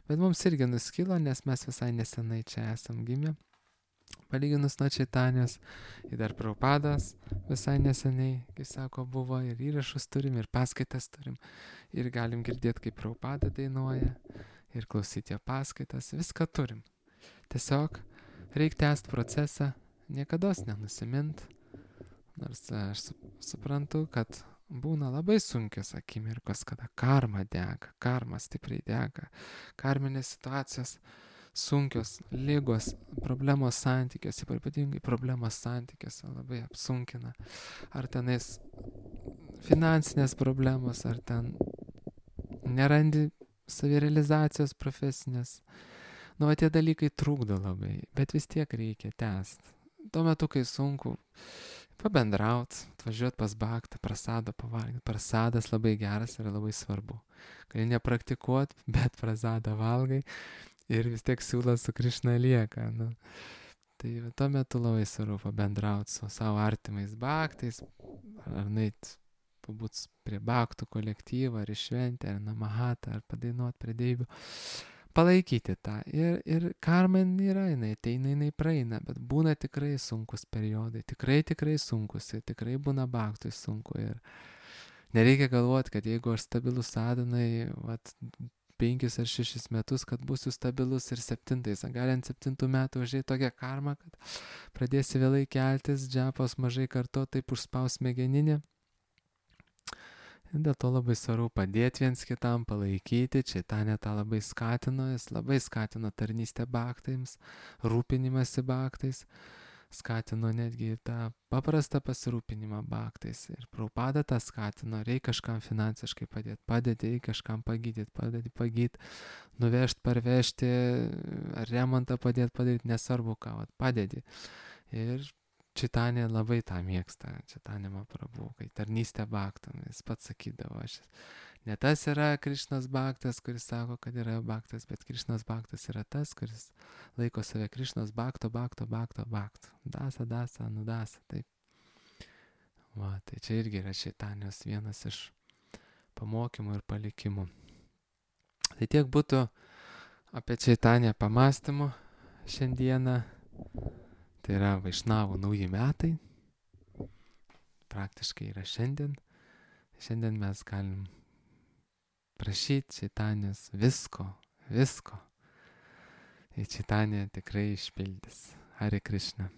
Bet mums irgi nuskilo, nes mes visai nesenai čia esam gimę. Palyginus nuo Čaitanės, ir dar Prabhupadas visai neseniai, kaip sako, buvo, ir įrašus turim, ir paskaitas turim, ir galim girdėti, kaip Prabhupada dainuoja, ir klausyti jo paskaitas, viską turim. Tiesiog reikia tęsti procesą, niekados nenusimint, nors aš suprantu, kad būna labai sunkios akimirkos, kada karma dega, karma stipriai dega, karminės situacijos sunkios, ligos, problemos santykiuose, ypatingai problemos santykiuose labai apsunkina. Ar tenais finansinės problemos, ar ten nerandi savirealizacijos profesinės. Nu, va tie dalykai trukdo labai, bet vis tiek reikia tęsti. Tuo metu, kai sunku pabendrauti, atvažiuoti pas Bhaktą, prasadą pavalgyti. Prasadas labai geras ir labai svarbu. Gali nepraktikuoti, bet prasadą valgai ir vis tiek siūlas su Krišna lieka. Nu. Tai tuo metu labai svarbu pabendrauti su savo artimais Bhaktais, ar nueiti pabūt prie Bhaktų kolektyvą, ar išventi, ar namahatą, ar padainuoti prie deivių. Palaikyti tą. Ir karma yra, jinai ateina, jinai praeina, bet būna tikrai sunkus periodai, tikrai sunkus, ir tikrai būna Bhaktui sunku. Ir nereikia galvoti, kad jeigu aš stabilus sadhanai, 5 ar 6 metus, kad būsiu stabilus ir 7, gali ant 7 metų užėjti tokia karma, kad pradėsi vėlai keltis, džapos mažai karto, taip užspaus smegeninė. Dėl to labai svarbu padėti viens kitam, palaikyti. Čaitanė tą labai skatino, jis labai skatino tarnystę Bhaktams, rūpinimąsi Bhaktais, skatino netgi tą paprastą pasirūpinimą Bhaktais. Ir Prabhupada tą skatino, reikia kažkam finansiškai padėti, reikia kažkam pagydyti, nuvežti, parvežti, remontą padaryti, nesvarbu ką, padėti. Ir Čaitanė labai tą mėgsta, Čaitanė Mahaprabhu, kai tarnystė Bhaktam, jis pats sakydavo, ne tas yra Krišnos Bhaktas, kuris sako, kad yra Bhaktas, bet Krišnos Bhaktas yra tas, kuris laiko save Krišnos Bhakto. Dasa, nudasa, taip. Tai čia irgi yra Čaitanės vienas iš pamokymų ir palikimų. Tai tiek būtų apie Čaitanę pamastymų šiandieną. Tai yra Vaišnavų nauji metai, praktiškai yra šiandien. Šiandien mes galim prašyti Čaitanės visko. Ir Čaitanė tikrai išpildys. Hare Krishna.